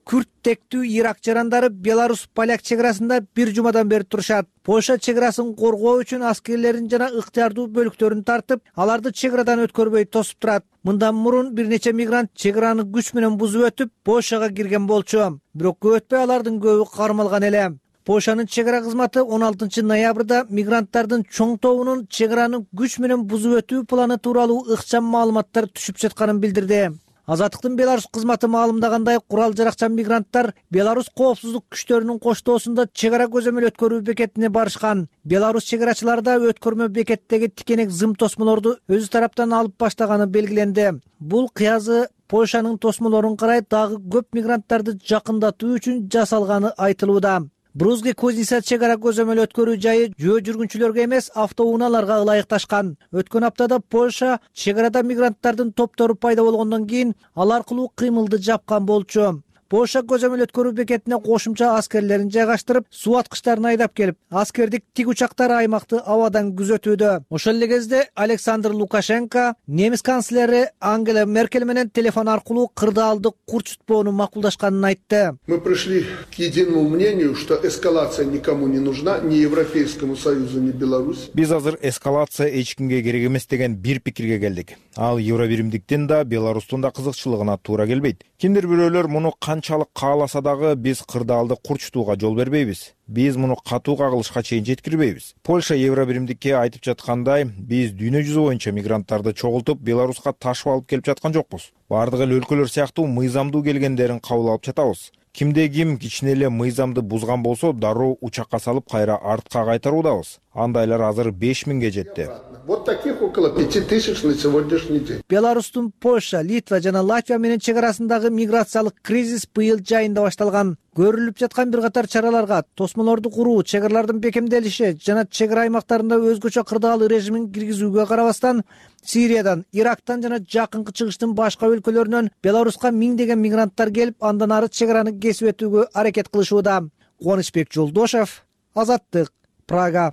Күрт тектүү Ирак жарандары Беларусь поляк чек арасында бир жумадан бери турушат. Польша чек арасын коргоо үчүн аскерлерин жана ыктыярдуу бөлүктөрүн тартып, аларды чек арадан өткөрбөй тосуп турат. Мындан мурун бир нече мигрант чек араны күч менен бузуп өтүп, Польшага кирген болчу. Бирок көп өтпөй алардын көбү кармалган эле. Польшанын чек ара кызматы 16 ноябрда мигранттардын чоң тобунун чек араны күч менен бузуп өтүү планы тууралуу ыкчам маалыматтар түшүп жатканын билдирди. Азаттыктын Беларусь кызматы маалымдагандай, курал жаракчан мигранттар Беларусь коопсуздук күчтөрүнүн коштоосунда чек ара көзөмөл өткөрүү бекетине барышкан. Беларусь чек арачылары да өткөрмө бекеттеги тикенек зым тосмолорду өзү тараптан алып баштаганы белгиленди. Бул кыязы Польшанын тосмолорун карай дагы көп мигранттарды жакындатуу үчүн жасалганы айтылууда. Брузге-Кузница чек ара көзөмөл өткөрүү жайы жөө жүргүнчүлөргө эмес, автоунааларга ылайыкташкан. Өткөн аптада Польша чек арада мигранттардын топтору пайда болгондон кийин ал аркылуу кыймылды жапкан болчу. Польша көзөмөл өткөрүү бекетине кошумча аскерлерин жайгаштырып, суу аткычтарын айдап келип, аскердик тик учактар аймакты абадан күзөтүүдө. Ошол эле кезде Александр Лукашенко немис канцлери Ангела Меркель менен телефон аркылуу кырдаалды курчутпоону макулдашканын айтты. Мы пришли к единому мнению, что эскалация никому не нужна, ни Европейскому Союзу, ни Беларуси. Биз азыр эскалация эч кимге керек эмес деген бир пикирге келдик. Ал Евробиримдиктин да, Беларустун да кызыкчылыгына туура келбейт. Кимдир бирөөлөр муну канчалык кааласа дагы биз кырдаалды курчутууга жол бербейбиз. Биз муну катуу кагылышка чейин жеткирбейбиз. Польша Евробиримдикке айтып жаткандай, биз дүйнө жүзү боюнча мигранттарды чогултуп Беларуска ташып алып келип жаткан жокпуз. Бардык эл өлкөлөр сыяктуу мыйзамдуу келгендерин кабыл алып жатабыз. Кимде ким кичине эле мыйзамды бузган болсо, дароо учакка салып кайра артка кайтаруудабыз. Андайлар азыр 5000ге жетти. Вот таких около 5000 на сегодняшний день. Беларустун Польша, Литва жана Латвия менен чек арасындагы миграциялык кризис быйыл жайында башталган. Көрүлүп жаткан бир катар чараларга тосмолорду куруу, чек аралардын бекемделиши жана чек ара аймактарында өзгөчө кырдаал режимин киргизүүгө карабастан, Сириядан, Ирактан жана жакынкы чыгыштын башка өлкөлөрүнөн Беларуска миңдеген мигранттар келип, андан ары чек араны кесип өтүүгө аракет кылышууда. Кубанычбек Жолдошев, Азаттык, Прага.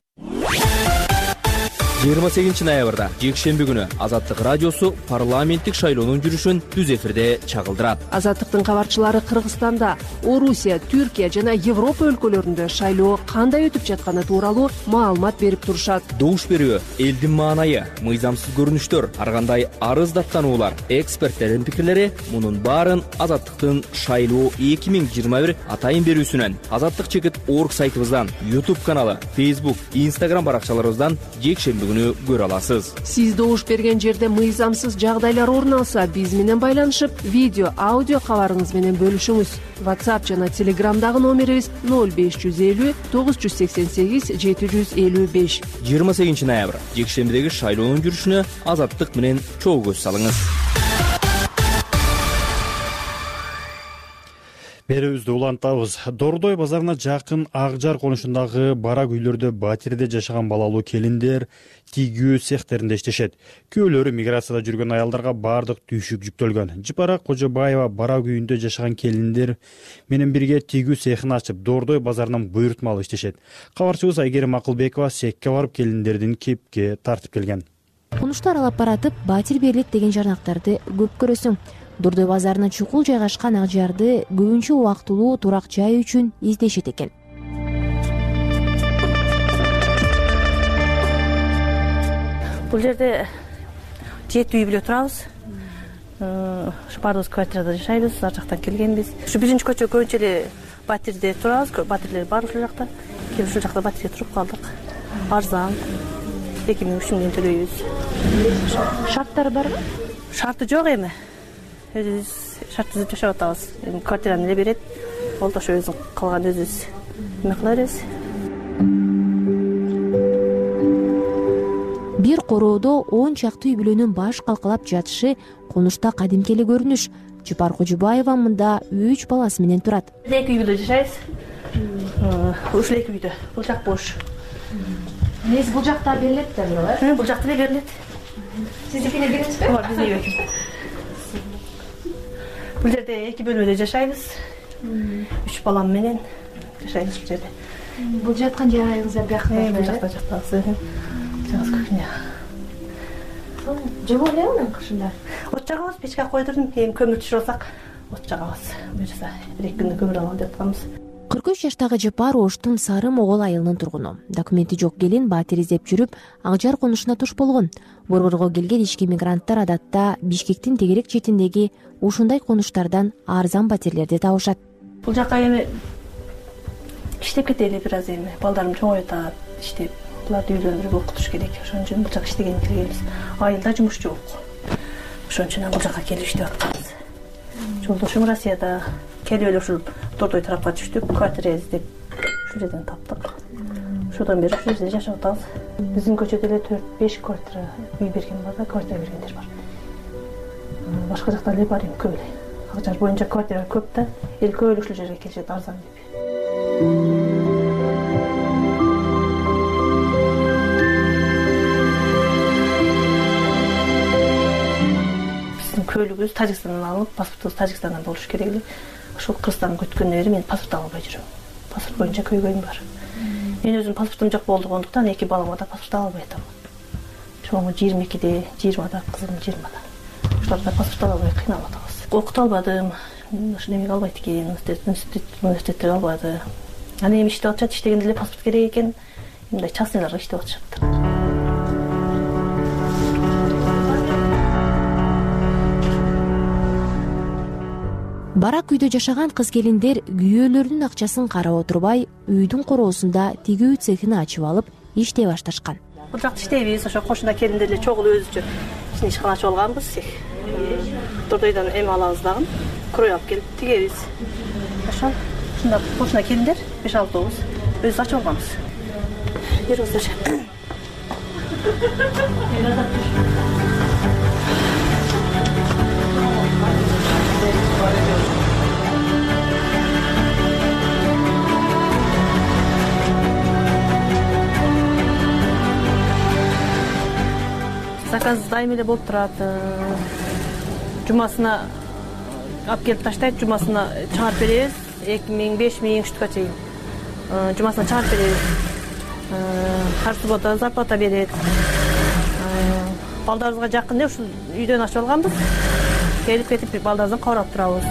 28 ноябрда жекшемби күнү Азаттык радиосу парламенттик шайлоонун жүрүшүн түз эфирде чагылдырат. Азаттыктын кабарчылары Кыргызстанда, Орусия, Түркия жана Европа өлкөлөрүндө шайлоо кандай өтүп жатканы тууралуу маалымат берип турушат. Добуш берүү, элдин маанайы, мыйзамсыз көрүнүштөр, ар кандай арыз даттануулар, эксперттердин пикирлери — мунун баарын Азаттыктын шайлоо 2021 атайын берүүсүнөн, Азаттык чекит org сайтыбыздан, YouTube каналы, Facebook, Instagram баракчаларыбыздан жекшемби көпчүлүгүнү көрө аласыз. Сиз добуш берген жерде мыйзамсыз жагдайлар орун алса, биз менен байланышып, видео, аудио кабарыңыз менен бөлүшүңүз. WhatsApp жана Telegramдагы номерибиз 0550 988 755. 28 ноябрь жекшембидеги шайлоонун жүрүшүнө Азаттык менен чогуу көз салыңыз. Берүүбүздү улантабыз. Дордой базарына жакын Акжар конушундагы барак үйлөрдө батирде жашаган балалуу келиндер тигүү цехтеринде иштешет. Күйөөлөрү миграцияда жүргөн аялдарга бардык түйшүк жүктөлгөн. Жыпара Кожобаева барак үйүндө жашаган келиндер менен бирге тигүү цехин ачып, Дордой базарынан буйртма алып иштешет. Кабарчыбыз Айгерим Акылбекова секке барып келиндердин кепке тартып келген. Конушту аралап баратып, батир берилет деген жарнактарды көп көрөсүң. Дордой базарына чукул жайгашкан Акжарды көбүнчө убактылуу турак жай үчүн издешет экен. Бул жерде 7 үй бүлө турабыз. Баарыбыз квартирада жашайбыз, ар жактан келгенбиз. Ушу биринчи көчө көбүнчө эле батирде турабыз. Батирлер бар ушул жакта. Келип ушул жакта батирге туруп калдык. Арзан. 2000-3000 миң төлөйбүз. Шарттары барбы? Шарты жок эми. Өзүбүз шарт түзүп жашап атабыз. Квартираны эле берет. Болду ошо өзүң калган өзүбүз эме кыла беребиз. Бир короодо 10 чакты үй бүлөнүн баш калкалап жатышы конушта кадимки эле көрүнүш. Жыпар Кожобаева мында 3 баласы менен турат. 2 үй бүлө жашайбыз. Ушул 2 үйдө. Бул жак бош. Эмес, бул жакта берилет да булар? Бул жакта эле берилет. Сиздикине бересизби? Ооба, биздин үй. Бул жерде 2 бөлмөдө жашайбыз. 3 балам менен жашайбыз бул жерде. Бул жаткан жайыңыз бияка. Бул жакта жатабыз. Жагыз кухня. Жабо элеби кышында? От жагабыз, печке койдурдум. Эми көмүр түшүрүп алсак, от жагабыз. Буюрса 1-2 күндө көмүр алалы деп атканбыз. 43 жаштагы Жыпар Оштун Сары Могол айылынын тургуну. Документи жок келин батир издеп жүрүп, Акжар конушуна туш болгон. Борборго келген ички мигранттар адатта Бишкектин тегерек четиндеги ушундай конуштардан арзан батирлерди табышат. Бул жака эми иштеп кетели бир аз эми. Балдарым чоңоюп атат, иштеп. Буларды үйлөндүрүп окутуш керек. Ошон үчүн бул жака иштеген келебиз. Айылда жумуш жок. Ошон үчүн бул жака келип иштеп атканбыз. Жолдошум Россияда келип эле ушул Дордой тарапка түштүк, квартира издеп ушул жерден таптык. Ошодон бери ушул жерде жашап атабыз. Биздин көчөдө эле 4-5 квартира үй берген бар да, квартира бергендер бар. Башка жакта эле бар эми көп эле. Акжар боюнча квартира көп да, эл көп эле ушул жерге келишет арзан деп. Көлүгүбүз Тажикстандан алып, паспортубуз Тажикстандан болуш керек эле. Ошол Кыргызстанга өткөндөн бери мен паспорт ала албай жүрөм. Паспорт боюнча көйгөйүм бар. Мен өзүм паспортум жок болгондуктан 2 балама да паспорт ала албай атам. Чоңу 22-де, 20-да, кызым 20-да. Ошоларда паспорт ала албай кыйналып атабыз. Окута албадым. Ошо эмеге албайт экен, университетте албады. Аны эми иштеп атышат, иштегенде эле паспорт керек экен. Мындай частныйларга иштеп атышат. Барак үйдө жашаган кыз келиндер күйөөлөрүнүн акчасын карап отурбай, үйдүн короосунда тигүү цехин ачып алып, иштей башташкан. Бул жакта иштейбиз, ошо кошуна келиндер эле чогуу өзүчө ишкана ачып алганбыз. Дордойдон эме алабыз дагы, крой алып келип тигебиз. Ошо ушунда кошуна келиндер 5-6 өзүбүз ачып алганбыз. Жүрүңүздөр. Заказ дайым эле болуп турат. Жумасына алып келип таштайт, жумасына чыгарып беребиз. 2000, 5000 штука чейин. Жумасына чыгарып беребиз. Ар суббота зарплата берет. Балдарыбызга жакын эле ушул үйдөн ачып алганбыз. Келип кетип балдарыбыздан кабар алып турабыз.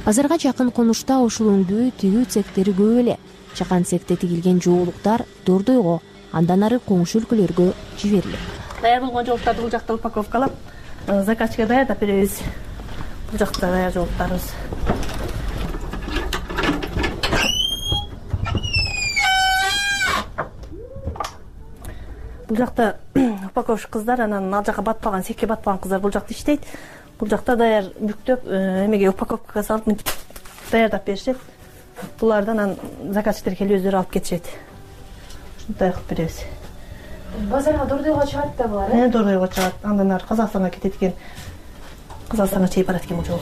Базарга жакын конушта ушул өңдүү тигүү цехтери көп эле. Чакан цехте тигилген жоолуктар Дордойго, андан ары коңшу өлкөлөргө жиберилет. Даяр болгон жоолуктарды бул жакта упаковкалап, заказчикке даярдап беребиз. Бул жакта даяр жоолуктарыбыз. Бул жакта упаковщик кыздар, анан ал жака батпаган, секке батпаган кыздар бул жакта иштейт. Бул жакта даяр бүктөп, эмеге упаковкага салып мынтип даярдап беришет. Буларды анан заказчиктер келип өздөрү алып кетишет. Ушундай кылып беребиз. Базарга дордойго чыгат да булар, Дордойго чыгат. Андан ары Казакстанга кетет экен. Казакстанга чейин барат экен бул жол.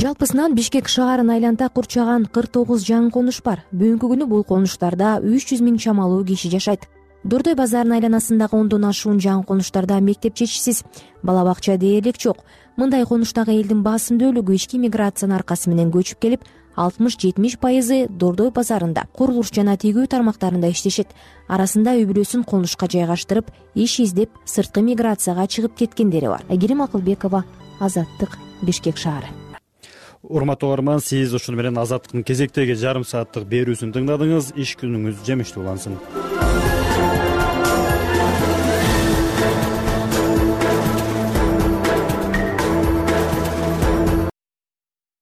Жалпысынан Бишкек шаарын айланта курчаган 49 жаңы конуш бар. Бүгүнкү күнү бул конуштарда 300 миң чамалуу киши жашайт. Дордой базарынын айланасындагы 10дон ашуун жаңы конуштарда мектеп жетишсиз, бала бакча дээрлик жок. Мындай конуштагы элдин басым бөлүгү ички миграциянын аркасы менен көчүп келип, 60-70% Дордой базарында, курулуш жана тигүү тармактарында иштешет. Арасында үй бүлөсүн конушка жайгаштырып, иш издеп, сырткы миграцияга чыгып кеткендери бар. Айгерим Акылбекова, Азаттык, Бишкек шаары. Урматтуу угарман, сиз ушуну менен Азаттыктын кезектеги жарым сааттык берүүсүн тыңдадыңыз. Иш күнүңүз жемиштүү улансын.